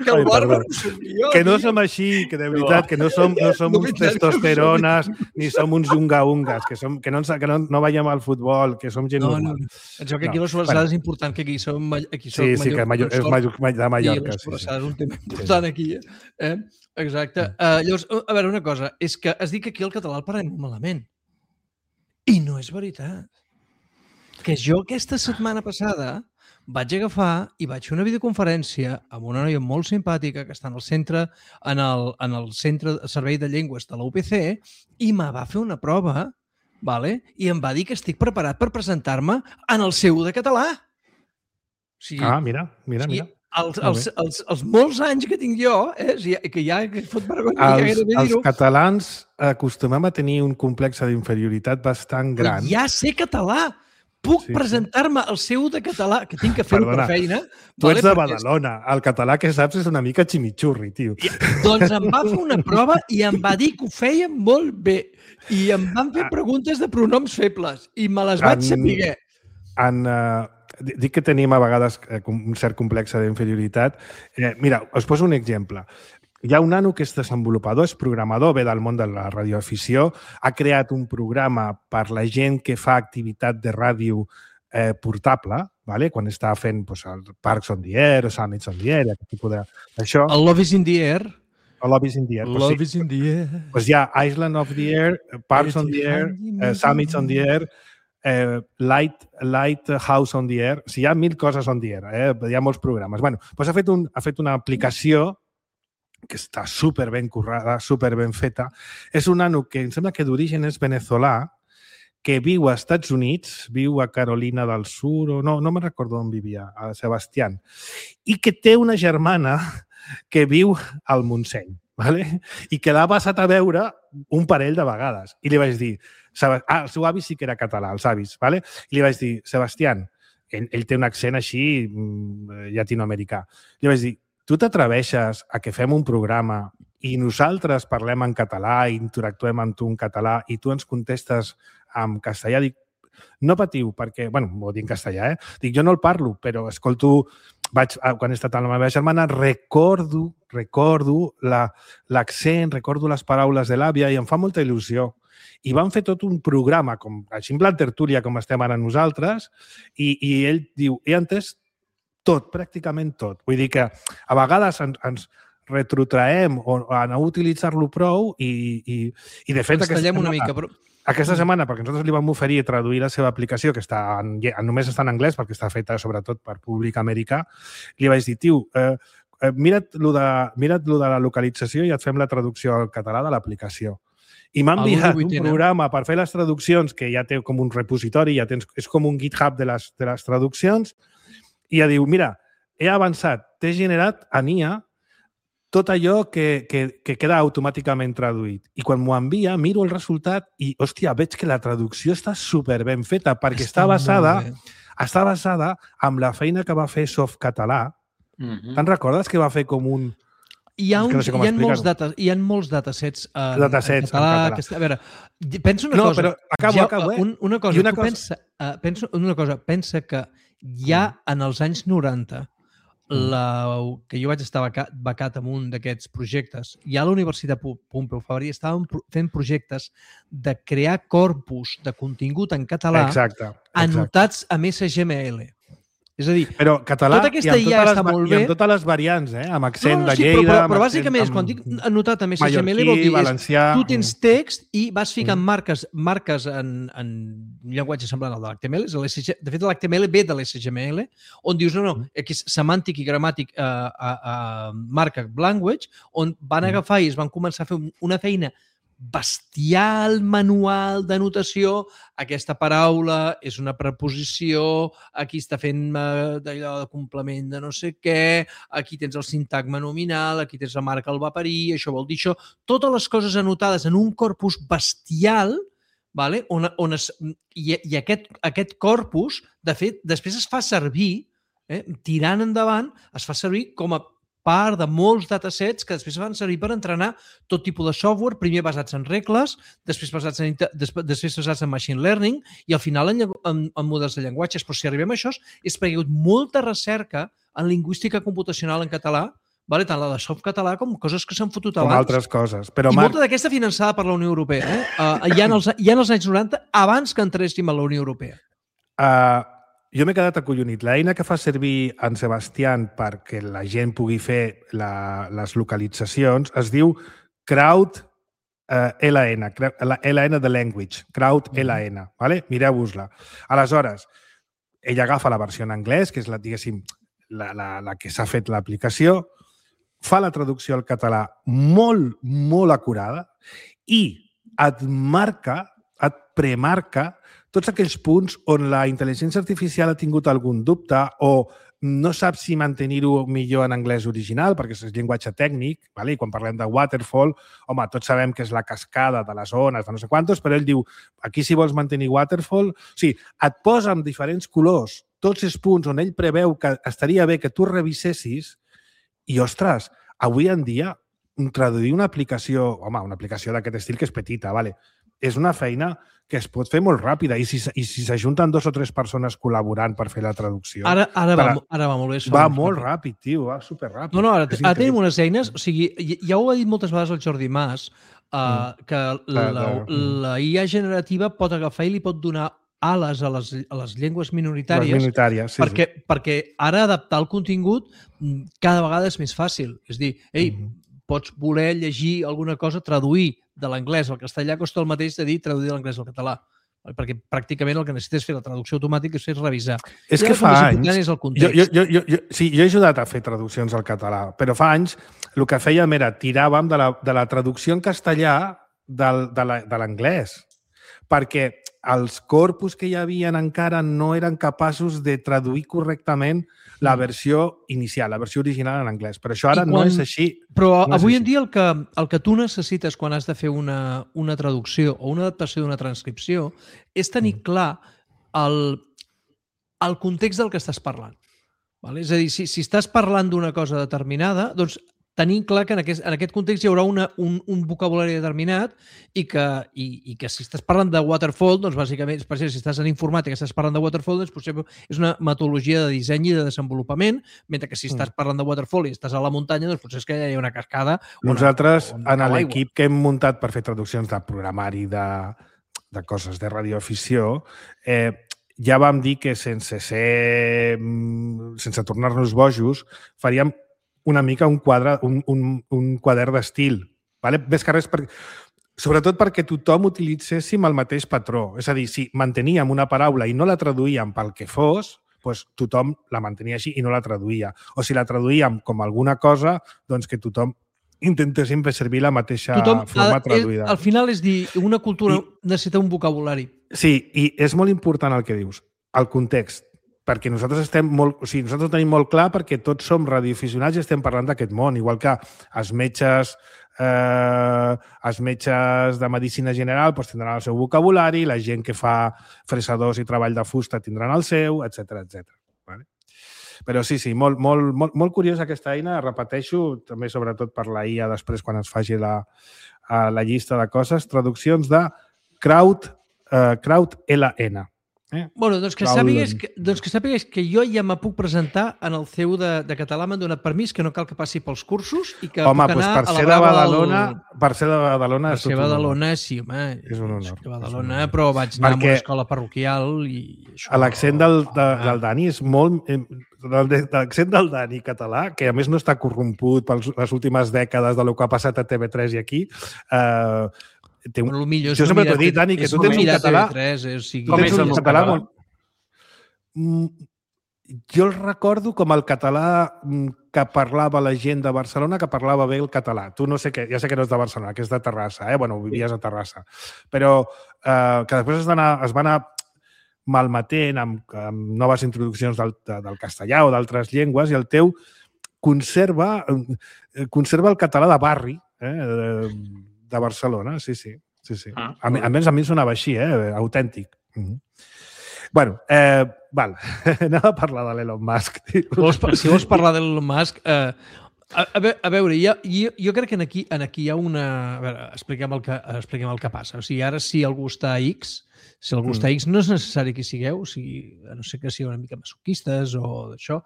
S3: Que el bàrbar som jo.
S2: Que no som així, que de veritat, que no som uns testosterones ni som uns unga-ungas, que no veiem al futbol, que som gent normal.
S3: Penseu que aquí la sobrassada és important, que aquí som
S2: Sí, que és de Mallorca.
S3: I la sobrassada és un tema important aquí. Exacte. Llavors, a veure, una cosa, és que has dit que aquí el català el parlem malament. I no és veritat. Que jo aquesta setmana passada vaig agafar i vaig fer una videoconferència amb una noia molt simpàtica que està en el centre de servei de llengües de la UPC i me va fer una prova, i em va dir que estic preparat per presentar-me en el C1 de català.
S2: Mira.
S3: Els molts anys que tinc jo, que ja fot vergonya.
S2: Els catalans acostumem a tenir un complex d'inferioritat bastant gran.
S3: Ja sé català! Puc presentar-me al C1 de català, que tinc que fer-ho per feina.
S2: Tu ets de Badalona. El català que saps és una mica ximichurri, tio.
S3: Doncs em va fer una prova i em va dir que ho feia molt bé. I em van fer preguntes de pronoms febles. I me les vaig saber.
S2: dic que tenim a vegades un cert complex d'inferioritat. Mira, us poso un exemple. Hi ha un nano que és desenvolupador, és programador, ve del món de la radioafició, ha creat un programa per la gent que fa activitat de ràdio portable, vale? Quan està fent el Parks on the Air o Summits on the Air, aquest tipus d'això.
S3: El Love is in the Air.
S2: El Love is in the Air.
S3: Love is in the Air.
S2: Hi ha Island of the Air, Parks on the Air, Summits on the Air, Lighthouse on the Air. O sigui, hi ha 1000 coses on the Air. Hi ha molts programes. Bueno, doncs ha fet una aplicació que està super ben currada, super ben feta. És un nano que em sembla que d'origen és venezolà, que viu als Estats Units, viu a Carolina del Sur, o no me'n recordo on vivia, a Sebastián, i que té una germana que viu al Montseny, ¿vale? I que l'ha passat a veure un parell de vegades. I li vaig dir, el seu avi sí que era català, els avis, ¿vale? I li vaig dir, Sebastián, ell té un accent així llatinoamericà, li vaig dir, tu t'atreveixes a que fem un programa i nosaltres parlem en català i interactuem amb tu en català i tu ens contestes en castellà? Dic, no patiu, perquè, bueno, ho dic en castellà, Dic, jo no el parlo, però escolto, quan he estat amb la meva germana, recordo l'accent, recordo les paraules de l'àvia i em fa molta il·lusió. I van fer tot un programa, així en plan tertúlia, com estem ara nosaltres, i ell diu, he entès tot, pràcticament tot. Vull dir que a vegades ens retrotraem a no utilitzar-lo prou i de fet aquesta setmana, perquè nosaltres li vam oferir traduir la seva aplicació, que només està en anglès perquè està feta sobretot per públic americà, li vaig dir, tio, mira't lo de la localització i et fem la traducció al català de l'aplicació. I m'ha enviat un programa per fer les traduccions que ja té com un repositori, és com un GitHub de les traduccions, i ja diu, mira, he avançat, t'he generat a NIA tot allò que queda automàticament traduït. I quan m'ho envia, miro el resultat i, hòstia, veig que la traducció està super ben feta perquè està basada en la feina que va fer Softcatalà. Te'n recordes que va fer com un...
S3: Hi ha molts datasets en català. A veure, pensa una cosa.
S2: No, però acabo.
S3: Una cosa, pensa que ja en els anys 90, que jo vaig estar becat en un d'aquests projectes, ja a la Universitat Pompeu Fabra estàvem fent projectes de crear corpus de contingut en català anotats amb SGML. És a dir,
S2: però català
S3: tota aquesta IA està molt bé.
S2: I amb totes les variants, amb accent de Lleida...
S3: Però bàsicament, quan dic anotat amb SGML, vol dir tu tens text i vas ficant marques en un llenguatge semblant al de l'HTML. De fet, l'HTML ve de l'SGML, on dius, no, aquí és semàntic i gramàtic markup language, on van agafar i es van començar a fer una feina bestial manual de notació. Aquesta paraula és una preposició, aquí està fent d'allò de complement de no sé què, aquí tens el sintagma nominal, aquí tens la marca al va parir, això vol dir això. Totes les coses anotades en un corpus bestial, i aquest corpus, de fet, després es fa servir, tirant endavant, es fa servir com a part de molts datasets que després van servir per entrenar tot tipus de software, primer basats en regles, després basats en machine learning i al final en models de llenguatges. Però si arribem a això és perquè hi ha hagut molta recerca en lingüística computacional en català, tant la de Softcatalà com coses que s'han fotut abans.
S2: Com altres coses.
S3: I molta d'aquesta finançada per la Unió Europea. Ja en els anys 90, abans que entréssim a la Unió Europea.
S2: Jo m'he quedat acollonit. L'eina que fa servir en Sebastián perquè la gent pugui fer les localitzacions es diu CrowdLN, LN de Language, CrowdLN. Mireu-vos-la. Aleshores, ell agafa la versió en anglès, que és la que s'ha fet l'aplicació, fa la traducció al català molt, molt acurada i et premarca tots aquells punts on la intel·ligència artificial ha tingut algun dubte o no sap si mantenir-ho millor en anglès original, perquè és llenguatge tècnic, i quan parlem de waterfall, home, tots sabem que és la cascada de les ones, de no sé quantos, però ell diu, aquí si vols mantenir waterfall... O sigui, et posa amb diferents colors tots els punts on ell preveu que estaria bé que tu revisessis i, ostres, avui en dia, traduir una aplicació, una aplicació d'aquest estil que és petita, és una feina que es pot fer molt ràpida i si s'ajunten 2 o 3 persones col·laborant per fer la traducció...
S3: Ara va molt bé.
S2: Va molt ràpid, tio, va superràpid.
S3: No, ara tenim unes eines, o sigui, ja ho ha dit moltes vegades el Jordi Mas, que la IA generativa pot agafar i li pot donar ales a les llengües minoritàries, perquè ara adaptar el contingut cada vegada és més fàcil. És dir, pots voler llegir alguna cosa, traduir de l'anglès al castellà costa el mateix de dir traduir de l'anglès al català, perquè pràcticament el que necessites fer la traducció automàtica és revisar.
S2: És que fa anys... Sí, jo he ajudat a fer traduccions al català, però fa anys el que fèiem era tiràvem de la traducció en castellà de l'anglès, perquè els corpus que hi havia encara no eren capaços de traduir correctament la versió inicial, la versió original en anglès. Però això ara no és així.
S3: Però avui en dia el que tu necessites quan has de fer una traducció o una adaptació d'una transcripció és tenir clar el context del que estàs parlant. És a dir, si estàs parlant d'una cosa determinada, doncs tenint clar que en aquest context hi haurà un vocabulari determinat i que si estàs parlant de waterfall, doncs bàsicament, per exemple, si estàs en informàtica i estàs parlant de waterfall, doncs potser és una metodologia de disseny i de desenvolupament, mentre que si estàs parlant de waterfall i estàs a la muntanya, doncs potser és que hi ha una cascada.
S2: Nosaltres, en l'equip que hem muntat per fer traduccions de programari de coses de radioafició, ja vam dir que sense tornar-nos bojos, faríem una mica un quadern d'estil. Més que res, sobretot perquè tothom utilitzéssim el mateix patró. És a dir, si manteníem una paraula i no la traduïem pel que fos, doncs tothom la mantenia així i no la traduïa. O si la traduïem com alguna cosa, doncs que tothom intentéssim fer servir la mateixa forma traduïda.
S3: Al final és dir, una cultura necessita un vocabulari.
S2: Sí, i és molt important el que dius, el context. Perquè nosaltres nosaltres ho tenim molt clar perquè tots som radioaficionats i estem parlant d'aquest món, igual que els metges de medicina general tindran el seu vocabulari, la gent que fa fresadors i treball de fusta tindran el seu, etc. Però sí, molt curiosa aquesta eina, repeteixo, també sobretot per la IA després quan es faci la llista de coses, traduccions de CrowdLN.
S3: Bueno, doncs que sàpigues que jo ja me puc presentar en el CEU de català, m'han donat permís, que no cal que passi pels cursos i que puc anar a la brava
S2: per ser de Badalona
S3: és tot un honor. Sí, home, és un honor. Badalona, però vaig anar a una escola parroquial i això...
S2: L'accent del Dani és molt... L'accent del Dani català, que a més no està corromput per les últimes dècades de lo que ha passat a TV3 i aquí, jo sempre t'ho he dit, Dani, que tu tens un català...
S4: Com és el català?
S2: Jo el recordo com el català que parlava la gent de Barcelona, que parlava bé el català. Tu no sé què, ja sé que no és de Barcelona, que és de Terrassa, vivies a Terrassa. Però que després es va anar malmetent amb noves introduccions del castellà o d'altres llengües i el teu conserva el català de barri, de Barcelona, sí. A més, a mi sonava així, autèntic. Bueno, val, anem a parlar de l'Elon Musk.
S3: Si vols parlar de l'Elon Musk, a veure, jo crec que aquí hi ha una... A veure, expliquem el que passa. O sigui, ara si algú està a X, no és necessari que hi sigueu, a no ser que sigueu una mica masoquistes o d'això,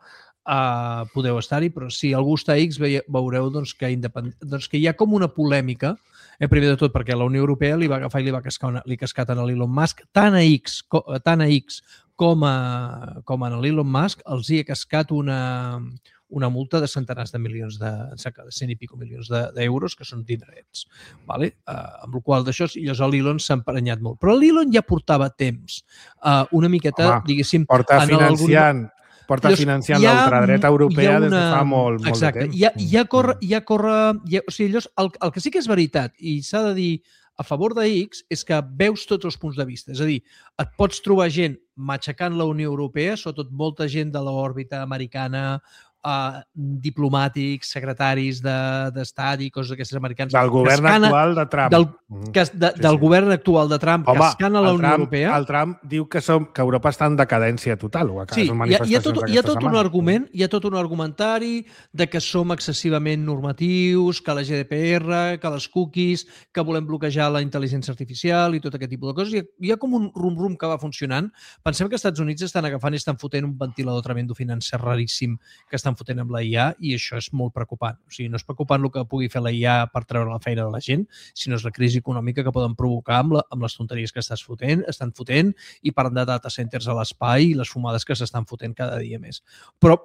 S3: podeu estar-hi, però si algú està a X veureu que hi ha com una polèmica, primer de tot perquè la Unió Europea li va agafar i li cascat a l'Elon Musk, tant a X com a l'Elon Musk els hi ha cascat una multa de centenars de milions, de 100 i pico milions d'euros, que són dinerets. Amb la qual d'això, l'Elon s'ha emprenyat molt. Però l'Elon ja portava temps una miqueta, diguéssim...
S2: Porta financiant l'ultradreta europea des de fa molt de temps. El que sí que és veritat, i s'ha de dir a favor de X, és que veus tots els punts de vista. És a dir, et pots trobar gent matxacant la Unió Europea, sobretot molta gent de l'òrbita americana
S3: diplomàtics, secretaris d'estat i coses d'aquestes americans.
S2: Del govern actual de Trump.
S3: Del govern actual de Trump, que escana la Unió Europea.
S2: El Trump diu que Europa està en decadència total.
S3: Sí, hi ha tot un argument, hi ha tot un argumentari de que som excessivament normatius, que la GDPR, que les cookies, que volem bloquejar la intel·ligència artificial i tot aquest tipus de coses. Hi ha com un rum-rum que va funcionant. Pensem que els Estats Units estan agafant i estan fotent un ventilador tremendo financer raríssim que estan fotent amb la IA, i això és molt preocupant. O sigui, no és preocupant el que pugui fer la IA per treure la feina de la gent, sinó és la crisi econòmica que poden provocar amb les tonteries que estan fotent i parlant de data centers a l'espai i les fumades que s'estan fotent cada dia més. Però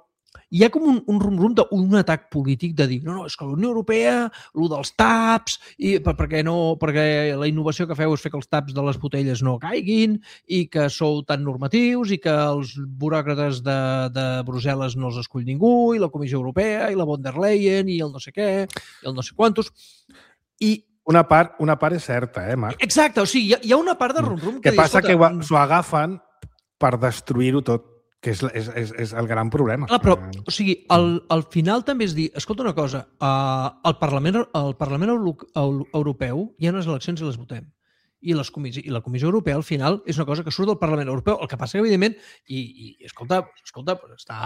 S3: hi ha com un rum-rum d'un atac polític de dir no, és que la Unió Europea, el dels taps, perquè la innovació que feu és fer que els taps de les botelles no caiguin i que sou tan normatius i que els buròcrates de Brussel·les no els escull ningú i la Comissió Europea i la von der Leyen i el no sé què i el no sé quantos. I
S2: una part és certa, Marc?
S3: Exacte, o sigui, hi ha una part de rum-rum
S2: que passa que s'ho agafen per destruir-ho tot, que és el gran problema.
S3: Clar, però, o sigui, al final també és dir, escolta una cosa, al Parlament Europeu hi ha unes eleccions i les votem. I la Comissió Europea, al final, és una cosa que surt del Parlament Europeu. El que passa que, evidentment, escolta, està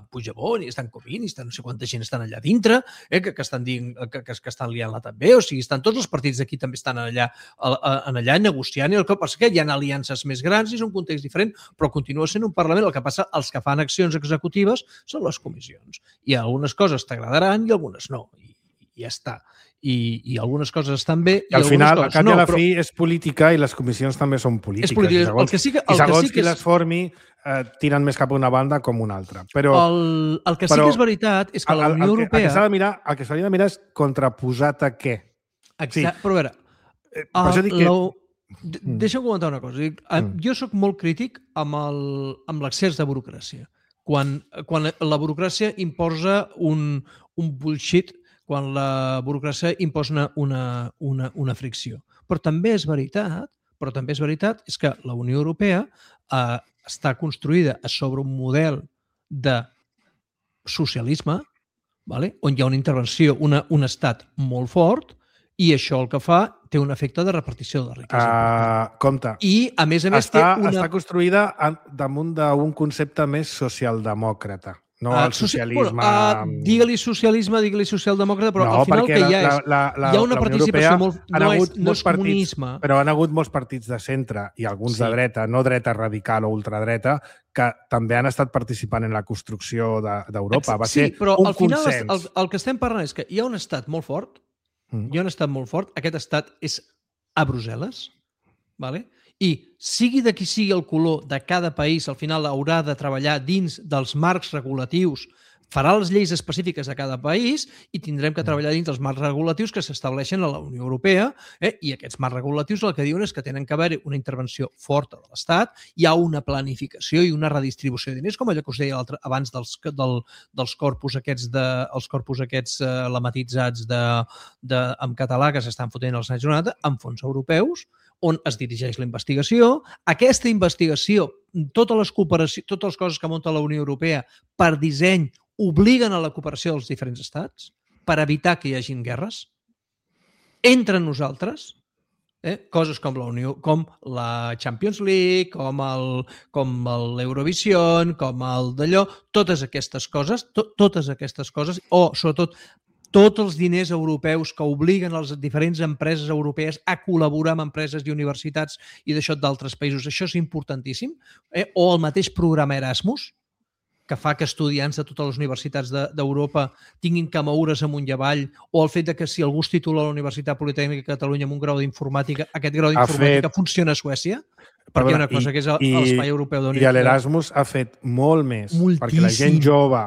S3: Puigdemont i estan Comín i no sé quanta gent estan allà dintre, que estan dient que estan liant-la també. O sigui, estan tots els partits d'aquí també estan allà negociant. I el que passa que hi ha aliances més grans i és un context diferent, però continua sent un Parlament. El que passa, els que fan accions executives són les comissions. I algunes coses t'agradaran i algunes no. I ja està. I algunes coses estan bé i
S2: al final,
S3: coses
S2: a cap i a la fi, és política i les comissions també són polítiques.
S3: És política.
S2: I segons qui les formi, tiren més cap a una banda com una altra. Però
S3: el que sí que és veritat és que la Unió Europea...
S2: El que s'hauria de mirar és contraposat a què.
S3: Exacte, però a veure... Deixa'm comentar una cosa. Jo sóc molt crític amb l'excés de burocràcia. Quan la burocràcia imposa un bullshit, quan la burocràcia imposa una fricció. Però també és veritat és que la Unió Europea està construïda sobre un model de socialisme, on hi ha una intervenció, un estat molt fort, i això el que fa té un efecte de repartició de la riquesa.
S2: Compte.
S3: I, a més,
S2: està construïda damunt d'un concepte més socialdemòcrata. No el socialisme...
S3: Digue-li socialisme, digue-li socialdemòcrata, però al final que hi ha una participació molt... No és comunisme.
S2: Però han hagut molts partits de centre i alguns de dreta, no dreta radical o ultradreta, que també han estat participant en la construcció d'Europa. Va ser un consens. Sí, però al final
S3: el que estem parlant és que hi ha un estat molt fort, aquest estat és a Brussel·les, i sigui de qui sigui el color de cada país, al final haurà de treballar dins dels marcs regulatius, farà les lleis específiques de cada país i tindrem que treballar dins dels marcs regulatius que s'estableixen a la Unió Europea, i aquests marcs regulatius el que diuen és que tenen que haver una intervenció forta de l'Estat, hi ha una planificació i una redistribució de diners, com allò que us deia abans dels corpus aquests lematitzats en català que s'estan fotent als anys 90, amb fons europeus, on es dirigeix la investigació. Aquesta investigació, totes les coses que munta la Unió Europea per disseny obliguen a la cooperació dels diferents estats per evitar que hi hagin guerres entre nosaltres, coses com la Champions League, com l'Eurovision, com el d'allò, totes aquestes coses, o sobretot tots els diners europeus que obliguen les diferents empreses europees a col·laborar amb empreses i universitats i d'això d'altres països. Això és importantíssim. O el mateix programa Erasmus, que fa que estudiants de totes les universitats d'Europa tinguin que moure's amunt i avall, o el fet que si algú es titula a la Universitat Politècnica de Catalunya amb un grau d'informàtica, aquest grau d'informàtica funciona a Suècia, perquè hi ha una cosa que és l'espai europeu d'unió.
S2: I l'Erasmus ha fet molt més perquè la gent jove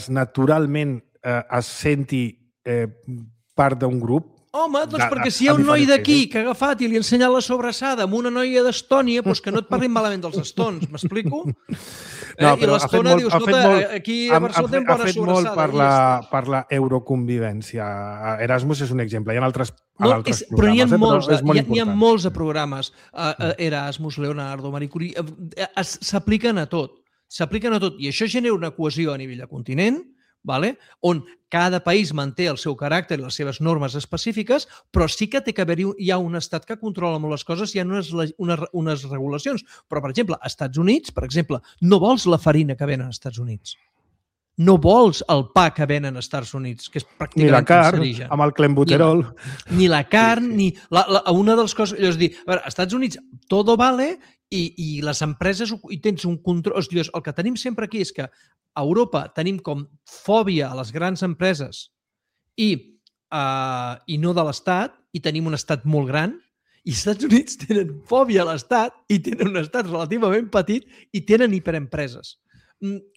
S2: naturalment es senti part d'un grup.
S3: Home, doncs perquè si hi ha un noi d'aquí que ha agafat i li ha ensenyat la sobrassada amb una noia d'Estònia, doncs que no et parlin malament dels estons, m'explico? I l'Estona dius, escolta, aquí a Barcelona tenen bona sobrassada.
S2: Ha fet molt per la euroconvivència. Erasmus és un exemple. Hi ha altres programes.
S3: Però n'hi ha molts de programes. Erasmus, Leonardo, Marie Curie, s'apliquen a tot. s'apliquen a tot. I això genera una cohesió a nivell de continent, vale? On cada país manté el seu caràcter i les seves normes específiques, però sí que té que haver-hi hi ha un estat que controla molt les coses, hi ha unes regulacions. Però, per exemple, als Estats Units, per exemple, no vols la farina que venen als Estats Units. No vols el pa que venen als Estats Units, que és pràcticament
S2: ni la carn,
S3: cancerigen.
S2: amb el clenbuterol.
S3: Ni la carn, ni... Una de les coses... És a dir, a veure, als Estats Units todo vale i les empreses i tens un control... O sigui, el que tenim sempre aquí és que a Europa tenim com fòbia a les grans empreses i no de l'Estat, i tenim un estat molt gran, i els Estats Units tenen fòbia a l'Estat i tenen un estat relativament petit i tenen hiperempreses.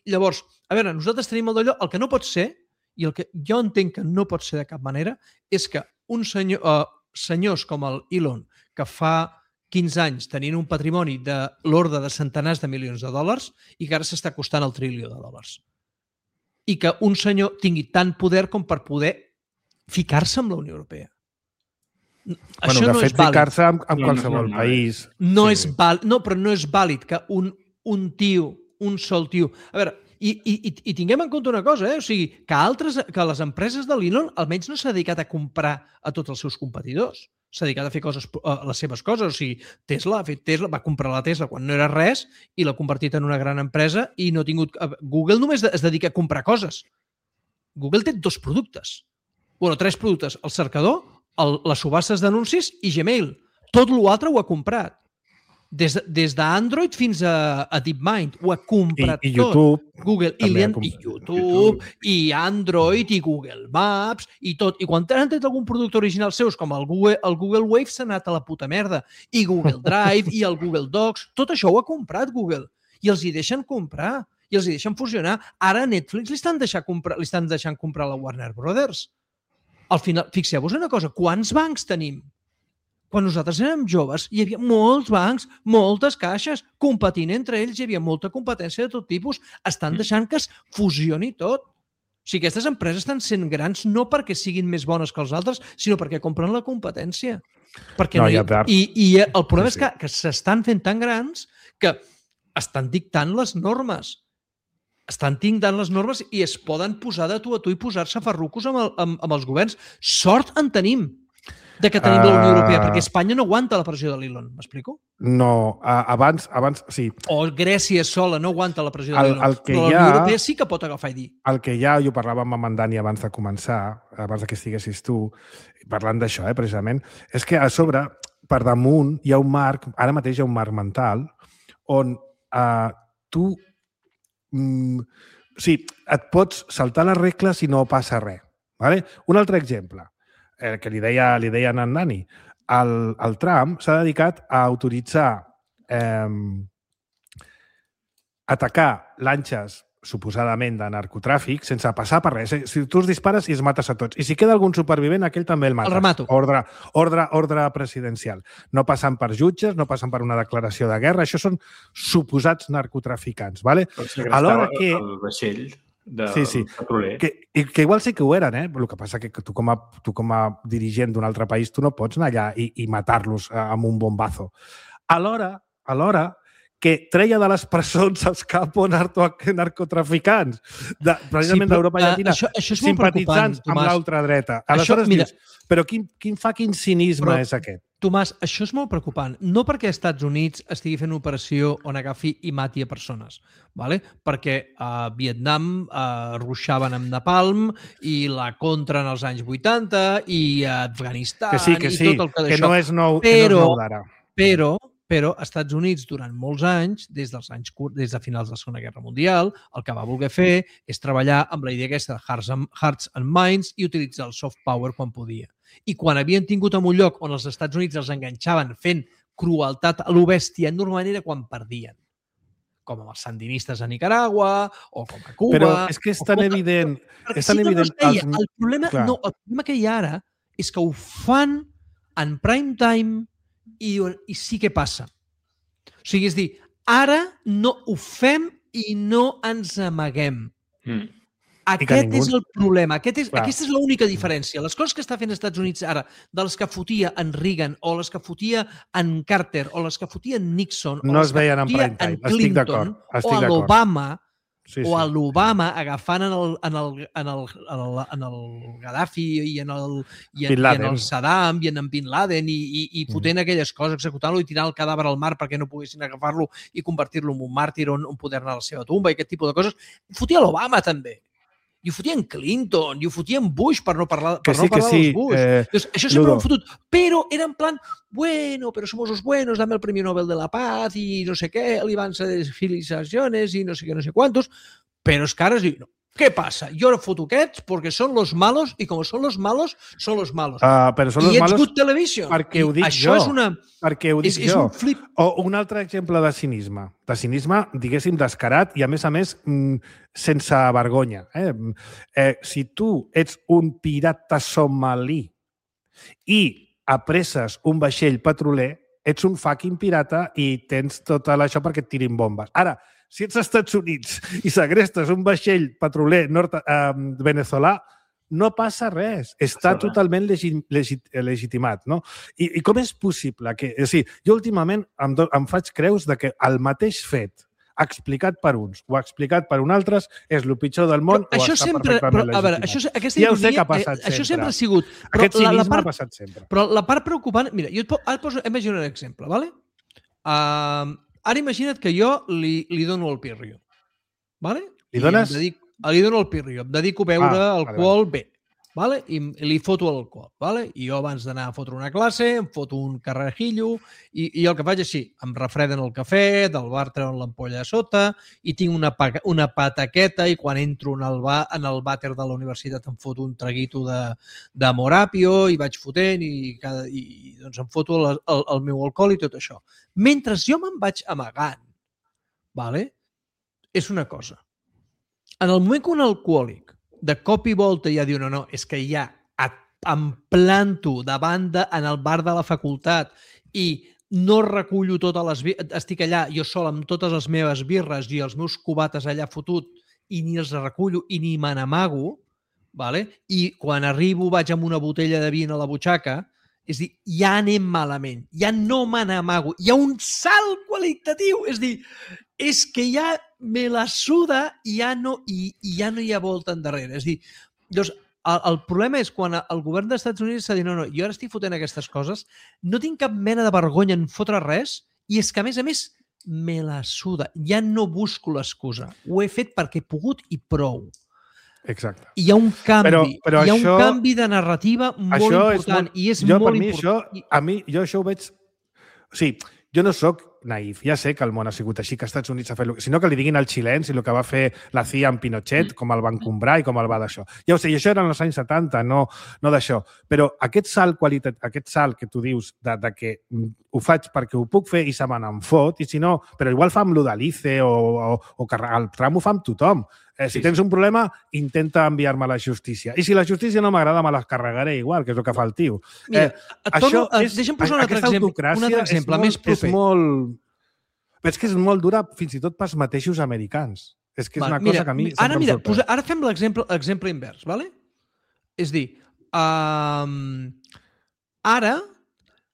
S3: Llavors, a veure, nosaltres tenim el d'allò, el que no pot ser, i el que jo entenc que no pot ser de cap manera, és que un senyors com el Elon, que fa 15 anys tenien un patrimoni de l'ordre de centenars de milions de dòlars i que ara s'està costant el trilió de dòlars. I que un senyor tingui tant poder com per poder ficar-se amb la Unió Europea. Això no és vàlid.
S2: Ficar-se amb qualsevol país.
S3: No és vàlid. No, però no és vàlid que un tio, un sol tio... A veure, i tinguem en compte una cosa, o sigui, que les empreses de l'Elon almenys no s'ha dedicat a comprar a tots els seus competidors. S'ha dedicat a fer les seves coses. O sigui, Tesla va comprar la Tesla quan no era res i l'ha convertit en una gran empresa i no ha tingut... Google només es dedica a comprar coses. Google té 2 productes. Bueno, 3 productes. El cercador, les subhastes d'anuncis i Gmail. Tot l'altre ho ha comprat. Des d'Android fins a DeepMind. Ho ha comprat
S2: tot. I YouTube.
S3: Google. I YouTube, i Android, i Google Maps, i tot. I quan han tret algun producte original seus, com el Google Wave, s'ha anat a la puta merda. I Google Drive, i el Google Docs. Tot això ho ha comprat Google. I els hi deixen comprar. I els hi deixen fusionar. Ara a Netflix li estan deixant comprar la Warner Brothers. Al final, fixeu-vos una cosa, quants bancs tenim? Quan nosaltres érem joves hi havia molts bancs, moltes caixes, competint entre ells, hi havia molta competència de tot tipus, estan deixant que es fusioni tot. O sigui, aquestes empreses estan sent grans no perquè siguin més bones que els altres, sinó perquè compren la competència. I el problema és que s'estan fent tan grans que estan dictant les normes. Estan dictant les normes i es poden posar de tu a tu i posar-se farrucos amb els governs. Sort en tenim de que tenim la Unió Europea, perquè Espanya no aguanta la pressió de l'Elon, m'explico?
S2: No, abans, sí.
S3: O Grècia sola no aguanta la pressió de l'Elon, però la Unió Europea sí que pot agafar i dir.
S2: El que hi ha, jo parlava amb en Dani abans de començar, abans que estiguessis tu, parlant d'això, precisament, és que a sobre, per damunt, hi ha un marc, ara mateix hi ha un marc mental, on tu et pots saltar les regles i no passa res. Vale? Un altre exemple, que li deia a en Dani, el Trump s'ha dedicat a autoritzar atacar lanxes suposadament de narcotràfic sense passar per res. Si tu els dispares i els mates a tots. I si queda algun supervivent, aquell també el mates.
S3: El remato.
S2: Ordre presidencial. No passen per jutges, no passen per una declaració de guerra. Això són suposats narcotraficants. Vale?
S4: Alhora que... El vaixell del petroler.
S2: Que igual sí que ho eren, El que passa que tu com a dirigent d'un altre país tu no pots anar allà i matar-los amb un bombazo. Alhora que treia de les presons els capos narcotraficants, precisament d'Europa Llatina, simpatitzants amb l'ultradreta. Aleshores dius, però quin fucking cinisme és aquest?
S3: Tomàs, això és molt preocupant. No perquè els Estats Units estigui fent una operació on agafi i mati a persones, perquè a Vietnam ruixaven amb napalm i la contra en els anys 80 i a Afganistan i tot el que d'això.
S2: Que no és nou d'ara.
S3: Però als Estats Units, durant molts anys, des de finals de la Segona Guerra Mundial, el que va voler fer és treballar amb la idea aquesta de Hearts and Minds i utilitzar el soft power quan podia. I quan havien tingut en un lloc on els Estats Units els enganxaven fent crueltat a lo bèstia, normalment era quan perdien. Com amb els sandinistes a Nicaragua o com a Cuba...
S2: Però és que és tan evident...
S3: El problema que hi ha ara és que ho fan en prime time i sí que passa. O sigui, és dir, ara no ho fem i no ens amaguem. Aquest és el problema. Aquesta és l'única diferència. Les coses que està fent els Estats Units ara, de les que fotia en Reagan, o les que fotia en Carter, o les que fotia en Nixon, o les que fotia en Clinton, o a l'Obama, o a l'Obama agafant en el Gaddafi i en el Saddam i en Bin Laden i fotent aquelles coses, executant-lo i tirant el cadàver al mar perquè no poguessin agafar-lo i convertir-lo en un màrtir on poder anar a la seva tumba i aquest tipus de coses. Fotia l'Obama també. I ho fotien Clinton, i ho fotien Bush, per no parlar dels Bush. Entonces, això sempre ho han fotut. Però era en plan, bueno, pero somos los buenos, dame el Premio Nobel de la Paz i no sé què, aliança de felicitaciones i no sé què, no sé quantos. Però és que ara es diu, no. ¿Qué pasa? Yo no foto aquests porque son los malos y como son los malos, son los malos.
S2: Però són los malos
S3: good television.
S2: Perquè ho dic jo. Perquè ho dic jo. O un altre exemple de cinisme. De cinisme, diguéssim, descarat i, a més, sense vergonya. Si tu ets un pirata somalí i apresses un vaixell petroler, ets un fucking pirata i tens tot això perquè et tirin bombes. Ara, si ets als Estats Units i segrestes un vaixell petroler veneçolà, no passa res. Està totalment legitimat. No? I com és possible que... O sigui, jo últimament em faig creus de que el mateix fet explicat per uns o explicat per uns altres és el pitjor del món o està perfectament legitimat. Ja ho sé que ha passat sempre.
S3: Això sempre ha sigut.
S2: Aquest cinisme ha passat sempre.
S3: Però la part preocupant... Mira, jo et poso... Imagina un exemple, ¿vale? Ara imagina't que jo li dono el pirrio. ¿Vale?
S2: Li dones?
S3: Li dono el pirrio. Em dedico a beure alcohol bé. ¿Vale? I li foto l'alcohol. ¿Vale? I jo abans d'anar a fotre una classe em foto un carrajillo i el que faig així, em refreden el cafè, del bar treuen l'ampolla a sota i tinc una pataqueta i quan entro en el vàter de la universitat em foto un traguito de Morapio i vaig fotent i doncs em foto el meu alcohol i tot això. Mentre jo me'n vaig amagant, ¿vale? És una cosa. En el moment que un alcohòlic de cop i volta ja diu no, és que ja em planto davant en el bar de la facultat i no recullo totes les birres, estic allà jo sol amb totes les meves birres i els meus cubates allà fotut i ni els recullo i ni me n'amago, ¿vale? I quan arribo vaig amb una botella de vi a la butxaca, és dir, ja anem malament, ja no me n'amago, hi ha un salt qualitatiu, és dir, és que ja me la suda i ja no hi ha volta endarrere. És dir, doncs, el problema és quan el govern dels Estats Units s'ha dit no, jo ara estic fotent aquestes coses, no tinc cap mena de vergonya en fotre res i és que, a més, me la suda. Ja no busco l'excusa. Ho he fet perquè he pogut i prou.
S2: Exacte.
S3: Hi ha un canvi. Hi ha un canvi de narrativa molt important i és molt important.
S2: Jo això ho veig... O sigui, jo no sóc naïf. Ja sé que el món ha sigut així, que als Estats Units ha fet... Sinó que li diguin als xilens i el que va fer la CIA amb Pinochet, com el van comprar i com el va d'això. Ja ho sé, i això era en els anys 70, no d'això. Però aquest salt que tu dius de que ho faig perquè ho puc fer i se me n'en fot, i si no... Però igual fa amb l'Udalice o el Trump ho fa amb tothom. Si tens un problema, intenta enviar-me a la justícia. I si la justícia no m'agrada, me les carregaré igual, que és el que fa el tio.
S3: Mira, deixa'm posar un altre exemple més proper.
S2: Però és que és molt dura fins i tot pels mateixos americans. És que és una cosa que a mi sempre em sorprèn.
S3: Ara fem l'exemple invers, ¿vale? És dir, ara,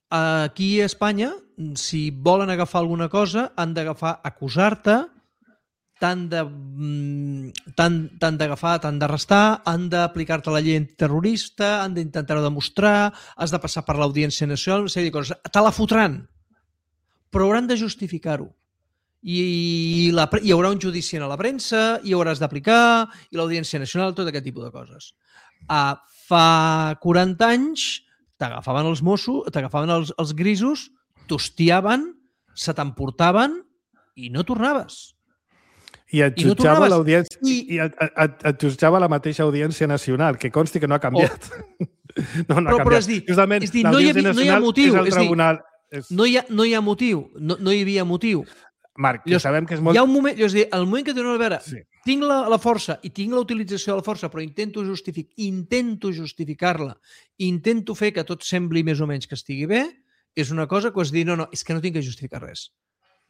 S3: aquí a Espanya, si volen agafar alguna cosa, han d'agafar, acusar-te, t'han d'agafar, t'han d'arrestar, han d'aplicar-te la llei antiterrorista, han d'intentar-ho demostrar, has de passar per l'Audiència Nacional, una sèrie de coses. Te la fotran, però hauran de justificar-ho. I hi haurà un judici a la premsa, i hauràs d'aplicar, i l'Audiència Nacional, tot aquest tipus de coses. Fa 40 anys t'agafaven els Mossos, t'agafaven els grisos, t'hostiaven, se t'emportaven i no tornaves.
S2: I et jutjava l'audiència i et jutjava la mateixa Audiència Nacional, que consti que no ha canviat. No ha canviat.
S3: Però és dir, no hi ha motiu. No hi ha motiu. No hi havia motiu.
S2: Marc, ja sabem que és molt...
S3: Hi ha un moment, és dir, el moment que diuen, a veure, tinc la força i tinc la utilització de la força, però intento justificar-la, intento fer que tot sembli més o menys que estigui bé, és una cosa que és dir, no, és que no tinc que justificar res.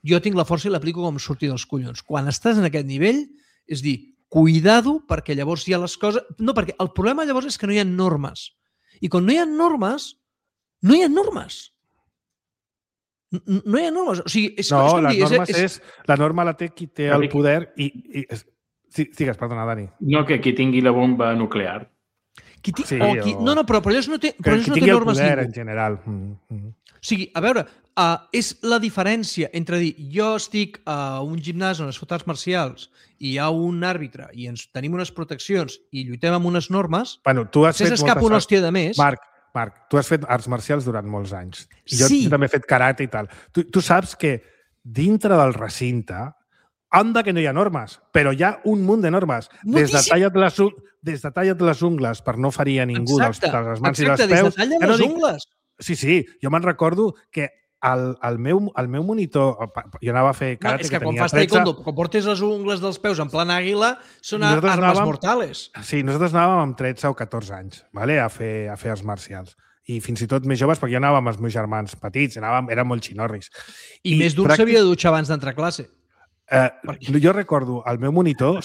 S3: Jo tinc la força i l'aplico com surti dels collons. Quan estàs en aquest nivell, és dir, cuidado, perquè llavors hi ha les coses... No, perquè el problema llavors és que no hi ha normes. I quan no hi ha normes, no hi ha normes. No hi ha normes. O sigui,
S2: la norma la té qui té el poder i digues, perdona, Dani.
S4: No, que qui tingui la bomba nuclear.
S3: No, però ells no té normes ningú.
S2: Qui tingui el poder, en general.
S3: O sigui, a veure, és la diferència entre dir jo estic a un gimnàs on es fot arts marcials i hi ha un àrbitre i ens tenim unes proteccions i lluitem amb unes normes,
S2: tu has fet
S3: s'escapa una hòstia de més.
S2: Marc, tu has fet arts marcials durant molts anys. Jo també he fet karate i tal. Tu saps que dintre del recinte, anda que no hi ha normes, però hi ha un munt de normes. Des de talla't les ungles per no ferir a ningú de les mans i dels peus.
S3: Des de talla't les ungles.
S2: Sí, jo me'n recordo que el meu monitor, jo anava a fer karate,
S3: és que quan fas taekwondo, quan portes les ungles dels peus en plan àguila, són armes mortales.
S2: Sí, nosaltres anàvem amb 13 o 14 anys a fer arts marcials. I fins i tot més joves, perquè jo anava amb els meus germans petits, érem molt xinorris.
S3: I més d'un s'havia de dutxar abans d'entrar a classe.
S2: Jo recordo el meu monitor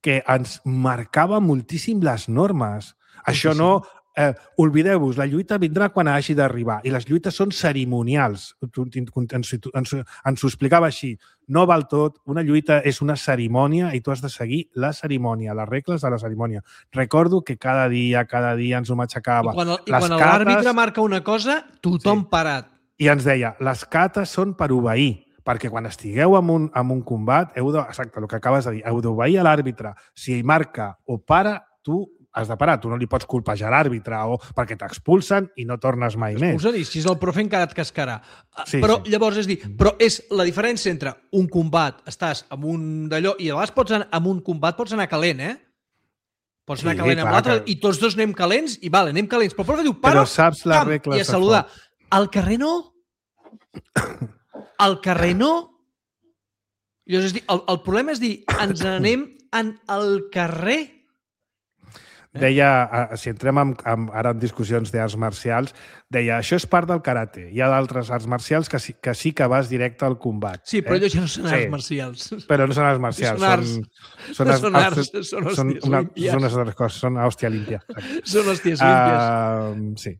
S2: que ens marcava moltíssim les normes. Això no... oblideu-vos, la lluita vindrà quan hagi d'arribar i les lluites són cerimonials. Ens ho explicava així. No val tot, una lluita és una cerimònia i tu has de seguir la cerimònia, les regles de la cerimònia. Recordo que cada dia ens ho matxacava.
S3: I quan l'àrbitre marca una cosa, tothom parat.
S2: I ens deia, les cates són per obeir, perquè quan estigueu en un combat, exacte, el que acabes de dir, heu d'obeir a l'àrbitre. Si ell marca o para, tu has de parar. Tu no li pots colpejar a l'àrbitre perquè t'expulsen i no tornes mai més.
S3: T'expulsen i si és el profe encara et cascarà. Però llavors és la diferència entre un combat, estàs amb un d'allò, i a vegades amb un combat pots anar calent, Pots anar calent amb l'altre i tots dos anem calents i anem calents. Però el profe diu, para, i a saludar. Al carrer no. Al carrer no. Llavors, el problema és dir, ens anem al carrer.
S2: Deia, si entrem ara en discussions d'arts marcials, deia, això és part del karate. Hi ha d'altres arts marcials que sí que vas directe al combat.
S3: Sí, però allò ja no són arts marcials.
S2: Però no són arts marcials. Són unes altres coses. Són hòstia límpia.
S3: Són hòsties límpies.
S2: Sí.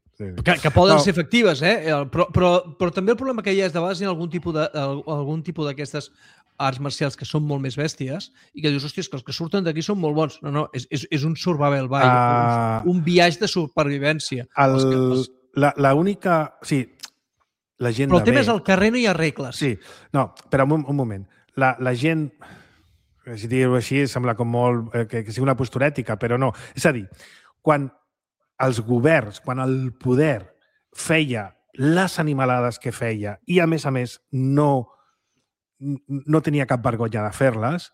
S3: Que poden ser efectives, però també el problema que hi ha és de vegades hi ha algun tipus d'aquestes arts marcials que són molt més bèsties i que dius, hòstia, que els que surten d'aquí són molt bons. No, és un survival ball, un viatge de supervivència.
S2: L'única... Sí, la gent
S3: però el tema és al carrer no hi ha regles.
S2: Sí, no, però un moment. La gent, si dir-ho així, sembla com molt que sigui una postura ètica, però no. És a dir, quan els governs, quan el poder feia les animalades que feia i, a més, no tenia cap vergonya de fer-les,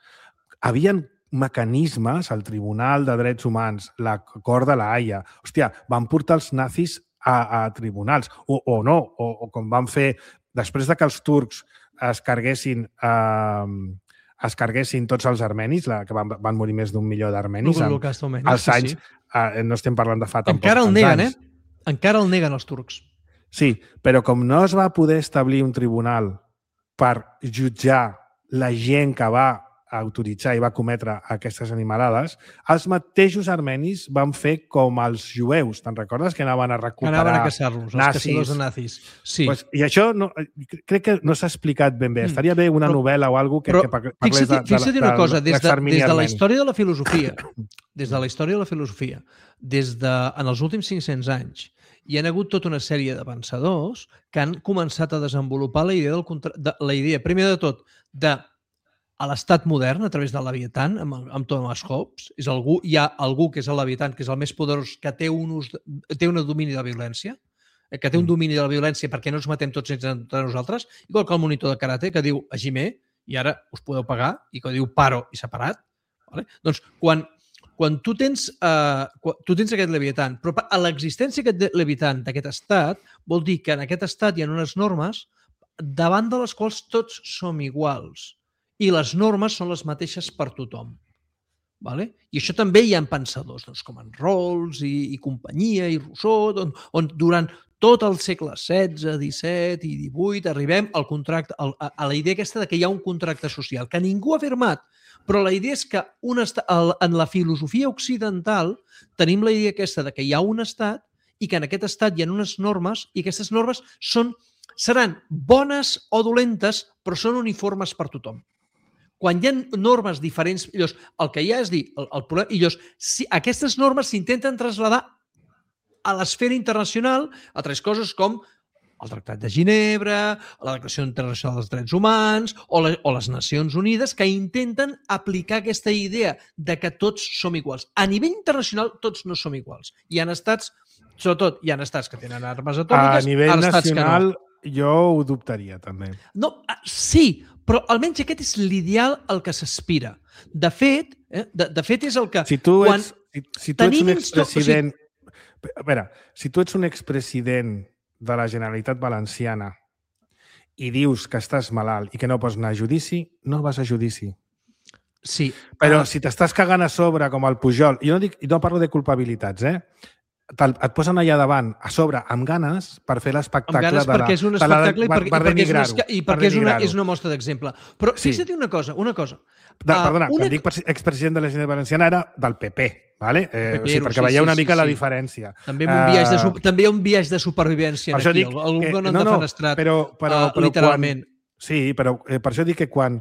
S2: havien mecanismes, el Tribunal de Drets Humans, la Cort de la Haia, hòstia, van portar els nazis a tribunals, o no, o com van fer, després de que els turcs es carguessin tots els armenis, que van morir més d'1 milió d'armenis, als anys, no estem parlant de fa tampoc.
S3: Encara el neguen, Encara el neguen els turcs.
S2: Sí, però com no es va poder establir un tribunal per jutjar la gent que va autoritzar i va cometre aquestes animalades, els mateixos armenis van fer com els jueus. Te'n recordes? Que anaven a recuperar
S3: anaven a caçar-los, els caçadors de nazis. Sí.
S2: Pues, i això crec que no s'ha explicat ben bé. Estaria bé una novel·la o alguna cosa que parlés de
S3: fixa't una cosa, des de la història de la filosofia, en els últims 500 anys, hi ha hagut tota una sèrie de pensadors que han començat a desenvolupar la idea, primer de tot, a l'estat modern, a través del Leviathan, amb Thomas Hobbes. Hi ha algú que és el Leviathan, que és el més poderós, que té un domini de la violència, que té un domini de la violència perquè no ens matem tots entre nosaltres, igual que el monitor de karate, que diu Hajime, i ara us podeu pagar, i que diu paro i separat. Doncs, quan tu tens aquest Leviathan, però a l'existència d'aquest Leviathan, d'aquest estat, vol dir que en aquest estat hi ha unes normes davant de les quals tots som iguals. I les normes són les mateixes per tothom. I això també hi ha pensadors, com en Rawls i companyia, i Rousseau, on durant tot el segle XVI, XVII i XVIII arribem al contracte, a la idea aquesta de que hi ha un contracte social, que ningú ha firmat, però la idea és que en la filosofia occidental tenim la idea aquesta de que hi ha un estat i que en aquest estat hi ha unes normes i aquestes normes seran bones o dolentes, però són uniformes per tothom. Quan hi ha normes diferents, llavors, el que hi ha és dir, el problema, i llavors, si aquestes normes s'intenten traslladar a l'esfera internacional a tres coses com el Tractat de Ginebra, la Declaració Internacional dels Drets Humans o les Nacions Unides, que intenten aplicar aquesta idea de que tots som iguals. A nivell internacional, tots no som iguals. Hi ha estats, sobretot, hi ha estats que tenen armes atòmiques,
S2: a nivell nacional,
S3: no.
S2: Jo ho dubtaria, també.
S3: No, sí, però almenys aquest és l'ideal al que s'aspira. De fet, és el que...
S2: Si tu ets un expresident... A veure, si tu ets un expresident de la Generalitat Valenciana i dius que estàs malalt i que no pots anar a judici, no vas a judici.
S3: Sí.
S2: Però si t'estàs cagant a sobre, com el Pujol, jo no parlo de culpabilitats, et posen allà davant, a sobre, amb ganes, per fer l'espectacle de la...
S3: Perquè és un espectacle
S2: per denigrar-ho.
S3: I perquè és una mostra d'exemple. Però fixa't una cosa.
S2: Perdona, quan dic expresident de la Generalitat Valenciana era del PP, ¿vale? Perquè veieu una mica la diferència.
S3: També hi ha un viatge de supervivència aquí. Algú que no han defenestrat literalment.
S2: Sí, però per això dic que quan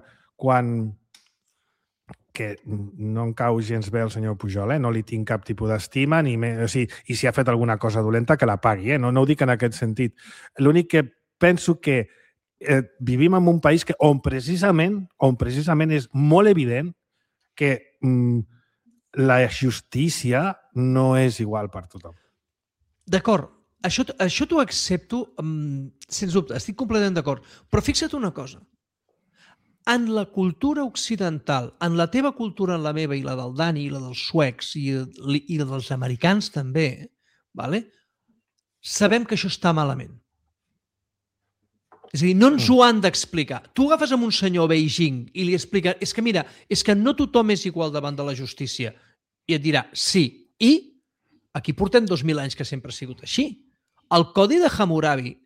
S2: que no em cau gens bé el senyor Pujol, no li tinc cap tipus d'estima, i si ha fet alguna cosa dolenta, que la pagui, no ho dic en aquest sentit. L'únic que penso que vivim en un país on precisament és molt evident que la justícia no és igual per tothom.
S3: D'acord, això t'ho accepto, sens dubte, estic completament d'acord, però fixa't una cosa. En la cultura occidental, en la teva cultura, en la meva i la del Dani, i la dels suecs i la dels americans també, sabem que això està malament. És a dir, no ens ho han d'explicar. Tu agafes amb un senyor a Beijing i li explica, és que mira, és que no tothom és igual davant de la justícia. I et dirà, sí. I aquí portem 2.000 anys que sempre ha sigut així. El Codi de Hammurabi,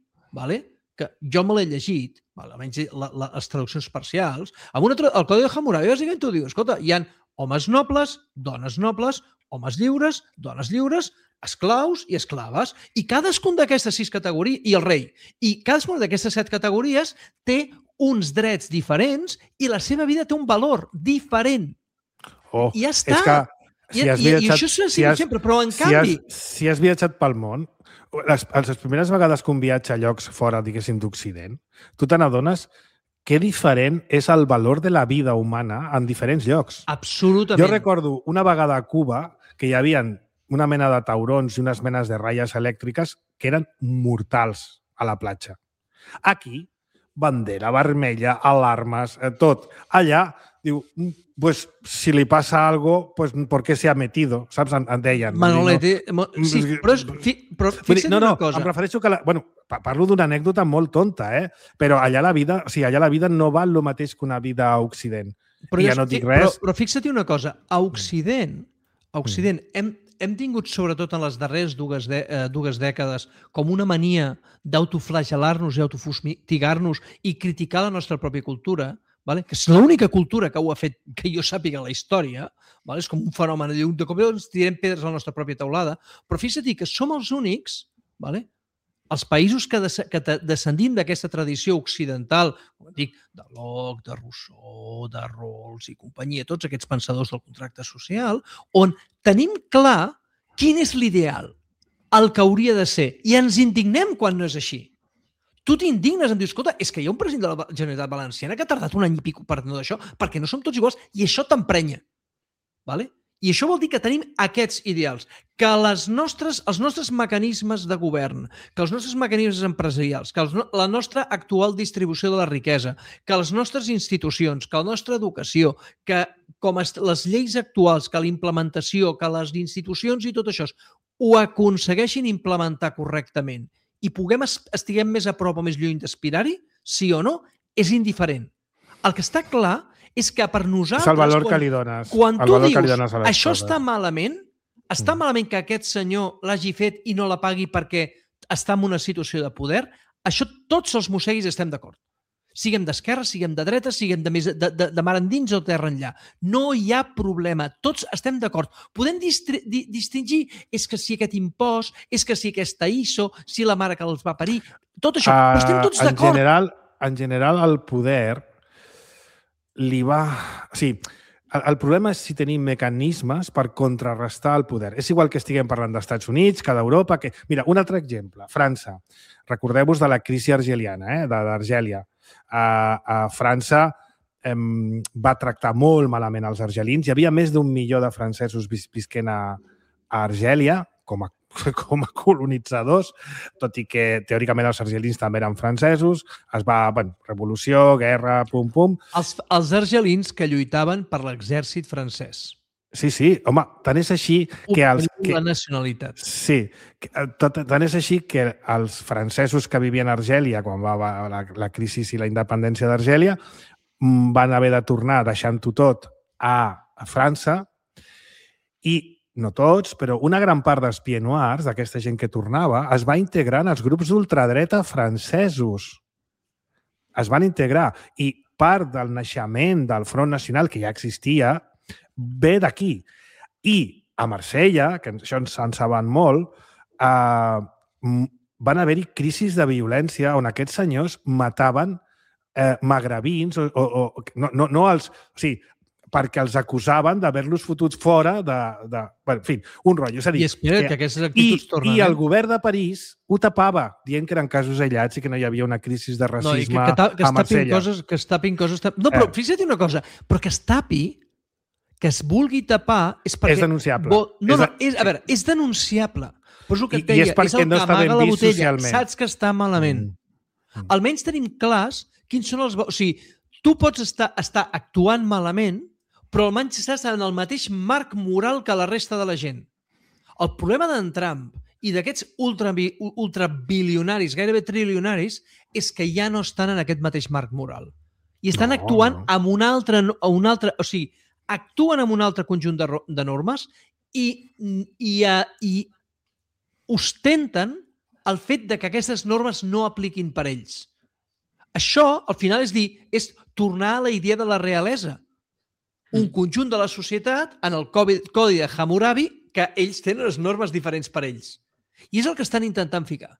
S3: que jo me l'he llegit, almenys les traduccions parcials, el Codi de Hammurabi bàsicament t'ho diu, escolta, hi ha homes nobles, homes lliures, dones lliures, esclaus i esclaves, i cadascun d'aquestes 6 categories, i el rei, i cadascuna d'aquestes 7 categories té uns drets diferents i la seva vida té un valor diferent. I ja està. I això és sempre, però en canvi...
S2: Si has viatjat pel món, les primeres vegades que un viatge a llocs fora, diguéssim, d'Occident, tu te n'adones que diferent és el valor de la vida humana en diferents llocs.
S3: Absolutament.
S2: Jo recordo una vegada a Cuba que hi havia una mena de taurons i unes menes de ratlles elèctriques que eren mortals a la platja. Aquí, bandera vermella, alarmes, tot. Allà, diu, pues si li passa algo, pues ¿por qué se ha metido? Saps? En deien.
S3: Manolete, sí, però fixa't una cosa.
S2: Em refereixo que... Parlo d'una anècdota molt tonta, però allà la vida no val el mateix que una vida a Occident. I ja no dic res.
S3: Però fixa't una cosa. A Occident hem tingut, sobretot en les darreres dues dècades, com una mania d'autoflagelar-nos i autofustigar-nos i criticar la nostra pròpia cultura, que és l'única cultura que ho ha fet, que jo sàpiga la història, és com un fenomen de cop ens tirem pedres a la nostra pròpia teulada, però fixa't que som els únics, els països que descendim d'aquesta tradició occidental, com dic, de Locke, de Rousseau, de Rawls i companyia, tots aquests pensadors del contracte social, on tenim clar quin és l'ideal, el que hauria de ser, i ens indignem quan no és així. Tu t'indignes, em dius, escolta, és que hi ha un president de la Generalitat Valenciana que ha tardat un any i pico per no d'això, perquè no som tots iguals, i això t'emprenya. I això vol dir que tenim aquests ideals, que els nostres mecanismes de govern, que els nostres mecanismes empresarials, que la nostra actual distribució de la riquesa, que les nostres institucions, que la nostra educació, que com les lleis actuals, que la implementació, que les institucions i tot això ho aconsegueixin implementar correctament i estiguem més a prop o més lluny d'aspirar-hi, sí o no, és indiferent. El que està clar és que per nosaltres...
S2: És el valor que li dones.
S3: Quan tu dius, això està malament que aquest senyor l'hagi fet i no la pagui perquè està en una situació de poder, això tots els mosseguis estem d'acord. Siguem d'esquerra, siguem de dreta, siguem de mar endins o terra enllà. No hi ha problema. Tots estem d'acord. Podem distingir és que si aquest impost, és que si aquesta ISO, si la mare que els va parir, tot això. Però estem tots d'acord.
S2: En general, el poder li va... O sigui, el problema és si tenim mecanismes per contrarrestar el poder. És igual que estiguem parlant d'Estats Units, que d'Europa... Mira, un altre exemple. França. Recordeu-vos de la crisi argeliana, d'Argèlia. A França va tractar molt malament els argelins. Hi havia més d'1 milió de francesos visquent a Argèlia com a colonitzadors, tot i que teòricament els argelins també eren francesos. Revolució, guerra, pum-pum.
S3: Els argelins que lluitaven per l'exèrcit francès.
S2: Sí. Home, tant és així que...
S3: La nacionalitat.
S2: Sí. Tant és així que els francesos que vivien a Argèlia, quan va la crisi i la independència d'Argèlia, van haver de tornar deixant-ho tot a França i no tots, però una gran part dels pieds noirs, d'aquesta gent que tornava, es va integrar en els grups d'ultradreta francesos. Es van integrar. I part del naixement del Front Nacional, que ja existia, ve d'aquí. I a Marsella, que això ens en saben molt, van haver-hi crisis de violència on aquests senyors mataven magrebins, no els... O sigui, perquè els acusaven d'haver-los fotuts fora en fi, un rotllo. És a dir,
S3: I espera que aquestes actituds tornen...
S2: I el govern de París ho tapava, dient que eren casos aïllats i que no hi havia una crisi de racisme a Marsella.
S3: Que es tapin coses... No, però fixa't una cosa, però que es tapi, que es vulgui tapar, és perquè...
S2: És denunciable.
S3: És denunciable. Però és el que et deia,
S2: és perquè no està ben vist socialment.
S3: Saps que està malament. Almenys tenim clars quins són els... O sigui, tu pots estar actuant malament, però almenys estàs en el mateix marc moral que la resta de la gent. El problema d'en Trump i d'aquests ultrabilionaris, gairebé trilionaris, és que ja no estan en aquest mateix marc moral. I estan actuant amb un altre... O sigui, actuen amb un altre conjunt de normes i ostenten el fet de que aquestes normes no apliquin per ells. Això, al final, és tornar a la idea de la realesa. Un conjunt de la societat en el codi de Hammurabi que ells tenen les normes diferents per ells. I és el que estan intentant ficar.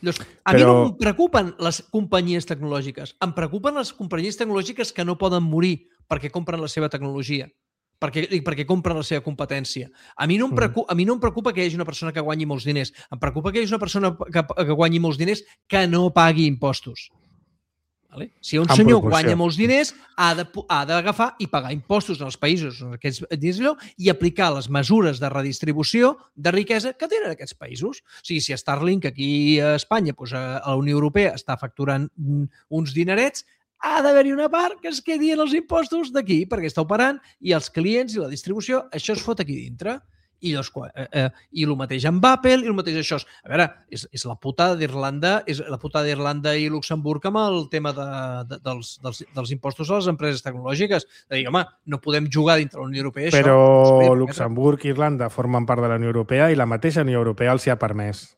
S3: Llavors, a mi no em preocupen les companyies tecnològiques. Em preocupen les companyies tecnològiques que no poden morir perquè compren la seva tecnologia, perquè compren la seva competència. A mi no em preocupa que hi hagi una persona que guanyi molts diners. Em preocupa que hi hagi una persona que guanyi molts diners que no pagui impostos. Si un senyor guanya molts diners, ha d'agafar i pagar impostos en els països i aplicar les mesures de redistribució de riquesa que tenen aquests països. O sigui, si Starlink aquí a Espanya, a la Unió Europea, està facturant uns dinerets, ha d'haver-hi una part que es quedi en els impostos d'aquí, perquè està operant, i els clients i la distribució, això es fot aquí dintre. I el mateix amb Apple, i el mateix això. A veure, és la putada d'Irlanda, i Luxemburg amb el tema dels impostos a les empreses tecnològiques. De dir, home, no podem jugar dintre la Unió Europea.
S2: Però Luxemburg i Irlanda formen part de la Unió Europea i la mateixa Unió Europea els hi ha permès.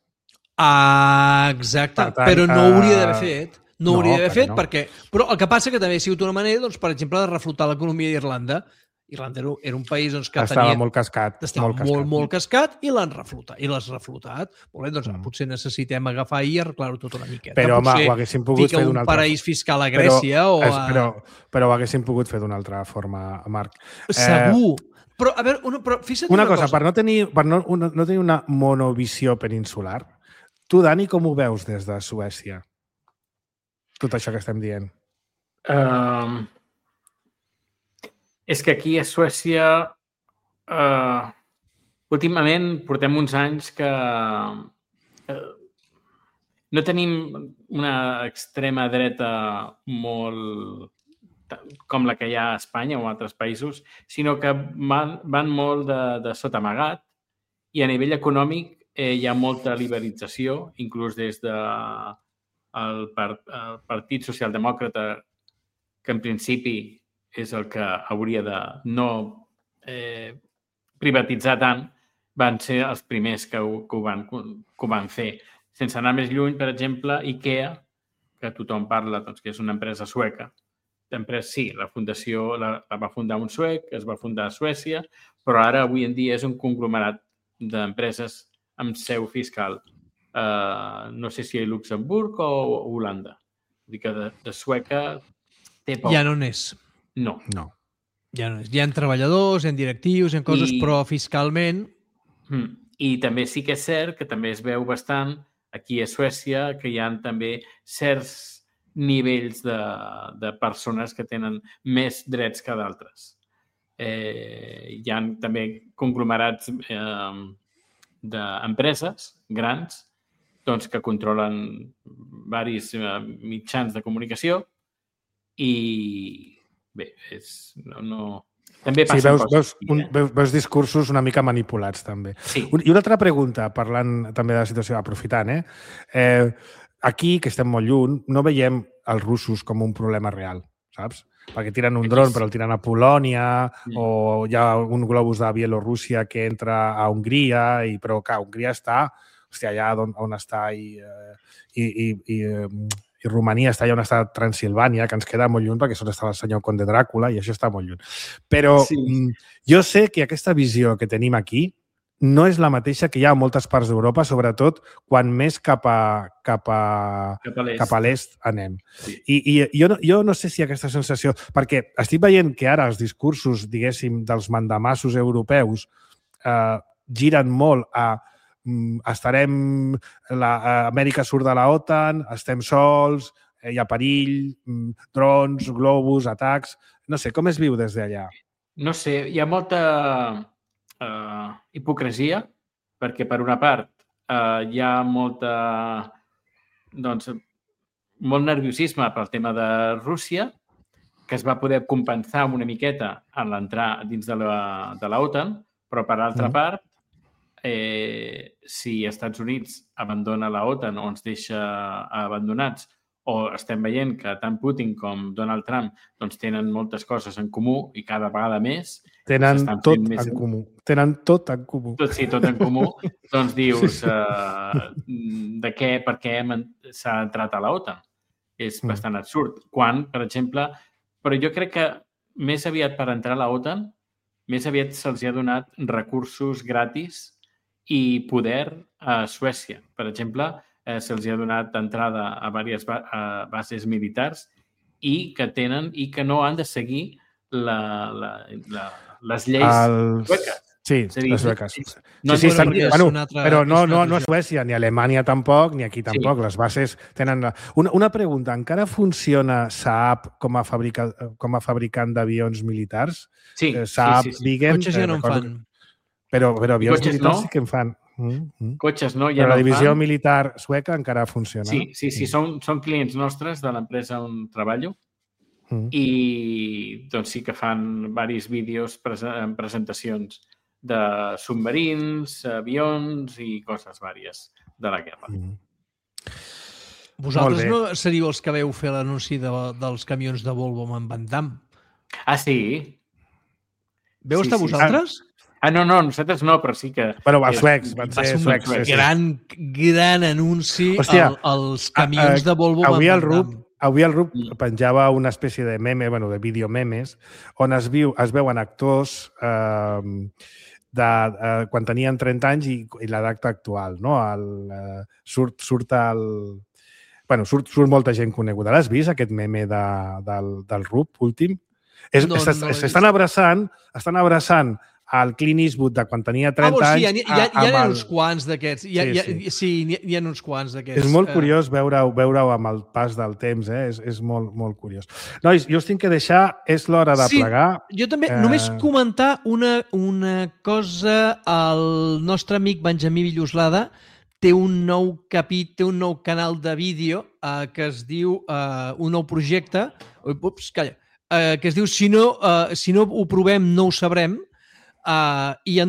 S3: Exacte, però no ho hauria d'haver fet. No ho hauria d'haver fet perquè... Però el que passa que també ha sigut una manera, per exemple, de reflotar l'economia d'Irlanda. Irlanda era un país que
S2: estava molt cascat.
S3: Estava molt cascat i l'han reflotat. Molt bé, doncs potser necessitem agafar i arreglar-ho tot una miqueta.
S2: Però, home, ho haguéssim pogut fer d'una altra forma.
S3: Un paraís fiscal a Grècia
S2: Però ho haguéssim pogut fer d'una altra forma, Marc.
S3: Segur. Però, a veure, fixa't una cosa.
S2: Per no tenir una monovisió peninsular, tu, Dani, com ho veus des de Suècia? Tot això que estem dient.
S4: És que aquí a Suècia últimament portem uns anys que no tenim una extrema dreta molt com la que hi ha a Espanya o a altres països, sinó que van molt de sota amagat i a nivell econòmic hi ha molta liberalització, inclús des del Partit Socialdemòcrata, que en principi és el que hauria de no privatitzar tant, van ser els primers que ho van fer. Sense anar més lluny, per exemple, IKEA, que tothom parla, doncs, que és una empresa sueca. Sí, la fundació la va fundar un suec, es va fundar a Suècia, però ara, avui en dia, és un conglomerat d'empreses amb seu fiscal. No sé si a Luxemburg o Holanda. Vull dir que de sueca té poc.
S3: Ja no n'és.
S4: No.
S3: Ja no és. Hi ha treballadors, hi ha directius, hi ha coses, però fiscalment...
S4: I també sí que és cert que també es veu bastant aquí a Suècia que hi ha també certs nivells de persones que tenen més drets que d'altres. Hi ha també conglomerats d'empreses grans doncs, que controlen diversos mitjans de comunicació i bé, també passen
S2: coses. Veus discursos una mica manipulats, també.
S4: Sí.
S2: I una altra pregunta, parlant també de la situació, aprofitant, aquí, que estem molt lluny, no veiem els russos com un problema real, saps? Perquè tiren un dron, però el tiren a Polònia, o hi ha un globus de Bielorússia que entra a Hongria, però que Hongria està, hòstia, allà on està i Romania està allà on està Transilvània, que ens queda molt lluny perquè és on està el senyor Conde Dràcula i això està molt lluny. Però jo sé que aquesta visió que tenim aquí no és la mateixa que hi ha a moltes parts d'Europa, sobretot quan més cap a l'est anem. Sí. I jo no sé si aquesta sensació... Perquè estic veient que ara els discursos, diguéssim, dels mandamassos europeus giren molt a Amèrica surt de la OTAN, estem sols, hi ha perill, drons, globus, atacs... No sé, com es viu des d'allà?
S4: No sé, hi ha molta hipocresia, perquè per una part hi ha molt nerviosisme pel tema de Rússia, que es va poder compensar una miqueta en l'entrar dins de la OTAN, però per altra part, si els Estats Units abandona la OTAN o ens deixa abandonats, o estem veient que tant Putin com Donald Trump doncs, tenen moltes coses en comú i cada vegada més...
S2: Tenen tot en comú. Tenen tot en comú.
S4: Sí, tot en comú. Doncs dius, per què s'ha entrat a la OTAN? És bastant absurd. Quan, per exemple... Però jo crec que més aviat per entrar a la OTAN, més aviat se'ls ha donat recursos gratis i poder a Suècia. Per exemple, se'ls ha donat entrada a diverses bases militars i que no han de seguir les lleis sueques.
S2: Sí, les sueques. Però no a Suècia, ni a Alemanya tampoc, ni aquí tampoc. Les bases tenen... Una pregunta, encara funciona Saab com a fabricant d'avions militars?
S4: Sí.
S2: Saab, Viggen...
S3: Cotxes ja no en fan.
S2: Però avions militars sí que en fan.
S4: Cotxes no, ja
S2: però
S4: no
S2: la divisió militar sueca encara funciona.
S4: Sí, són clients nostres de l'empresa on treballo i doncs sí que fan diversos vídeos en presentacions de submarins, avions i coses vàries de la guerra.
S3: Vosaltres no seríeu els que veu fer l'anunci dels camions de Volvo amb en Van Damme?
S4: Ah, sí?
S3: Veu estar vosaltres?
S4: No, nosaltres no, però sí que...
S2: Però els suecs, van ser suecs.
S3: Gran anunci als camions de Volvo amb Van Damme.
S2: Avui el RUP penjava una espècie de meme, de videomemes, on es veuen actors quan tenien 30 anys i l'edat actual. Surt molta gent coneguda. L'has vist, aquest meme del RUP últim? Estan abraçant al Clint Eastwood de quan tenia 30 anys.
S3: Hi ha uns quants d'aquests. Sí, hi ha uns quants d'aquests.
S2: És molt curiós veure-ho amb el pas del temps. És molt, molt curiós. Nois, jo us tinc que deixar. És l'hora de plegar.
S3: Jo també. Només comentar una cosa. El nostre amic Benjamí Villoslada té un nou un nou canal de vídeo que es diu un nou projecte que es diu Si no ho provem, no ho sabrem. I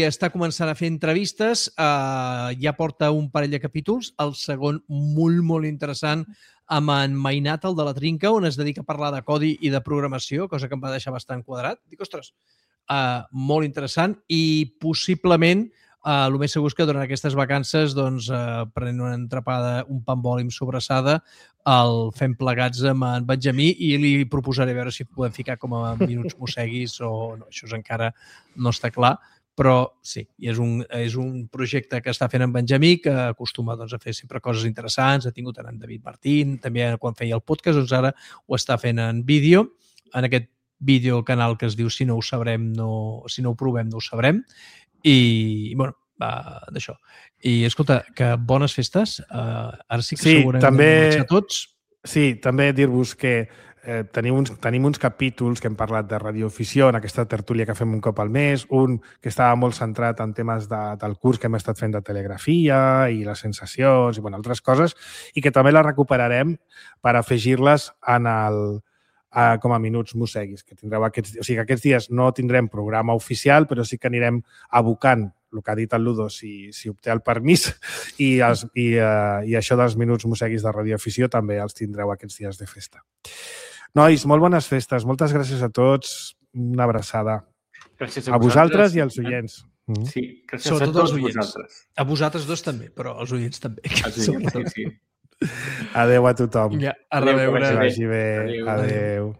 S3: està començant a fer entrevistes, ja porta un parell de capítols, el segon molt, molt interessant amb en Mainat, el de la Trinca, on es dedica a parlar de codi i de programació, cosa que em va deixar bastant quadrat. Dic, ostres, molt interessant i possiblement el més segur és que durant aquestes vacances doncs, prenent una entrepada, un pa amb oli amb sobrassada, el fem plegats amb en Benjamí i li proposaré veure si podem ficar com a minuts mosseguis o no, això encara no està clar, però sí, és un projecte que està fent en Benjamí, que acostuma doncs, a fer sempre coses interessants, ha tingut en David Martín, també quan feia el podcast, doncs ara ho està fent en vídeo, en aquest videocanal que es diu Si no ho sabrem, si no ho provem, no ho sabrem, i bueno, d'això. I escolta, que bones festes. Ara sí que segurament
S2: també,
S3: hem marxat tots.
S2: Sí, també dir-vos que tenim uns capítols que hem parlat de radioafició en aquesta tertúlia que fem un cop al mes, un que estava molt centrat en temes del curs que hem estat fent de telegrafia i les sensacions i altres coses, i que també la recuperarem per afegir-les com a minuts mosseguis, que tindreu aquests dies no tindrem programa oficial, però sí que anirem abocant el que ha dit el Ludo, si obté el permís, i això dels minuts mosseguis de radioafició també els tindreu aquests dies de festa. Nois, molt bones festes. Moltes gràcies a tots. Una abraçada.
S4: Gràcies
S2: a vosaltres i als oients.
S4: Sí, gràcies a tots vosaltres.
S3: A vosaltres dos també, però als oients també.
S4: Sí.
S2: Adéu a tothom.
S3: Ja, a reveure.
S2: Que vagi bé. Adéu.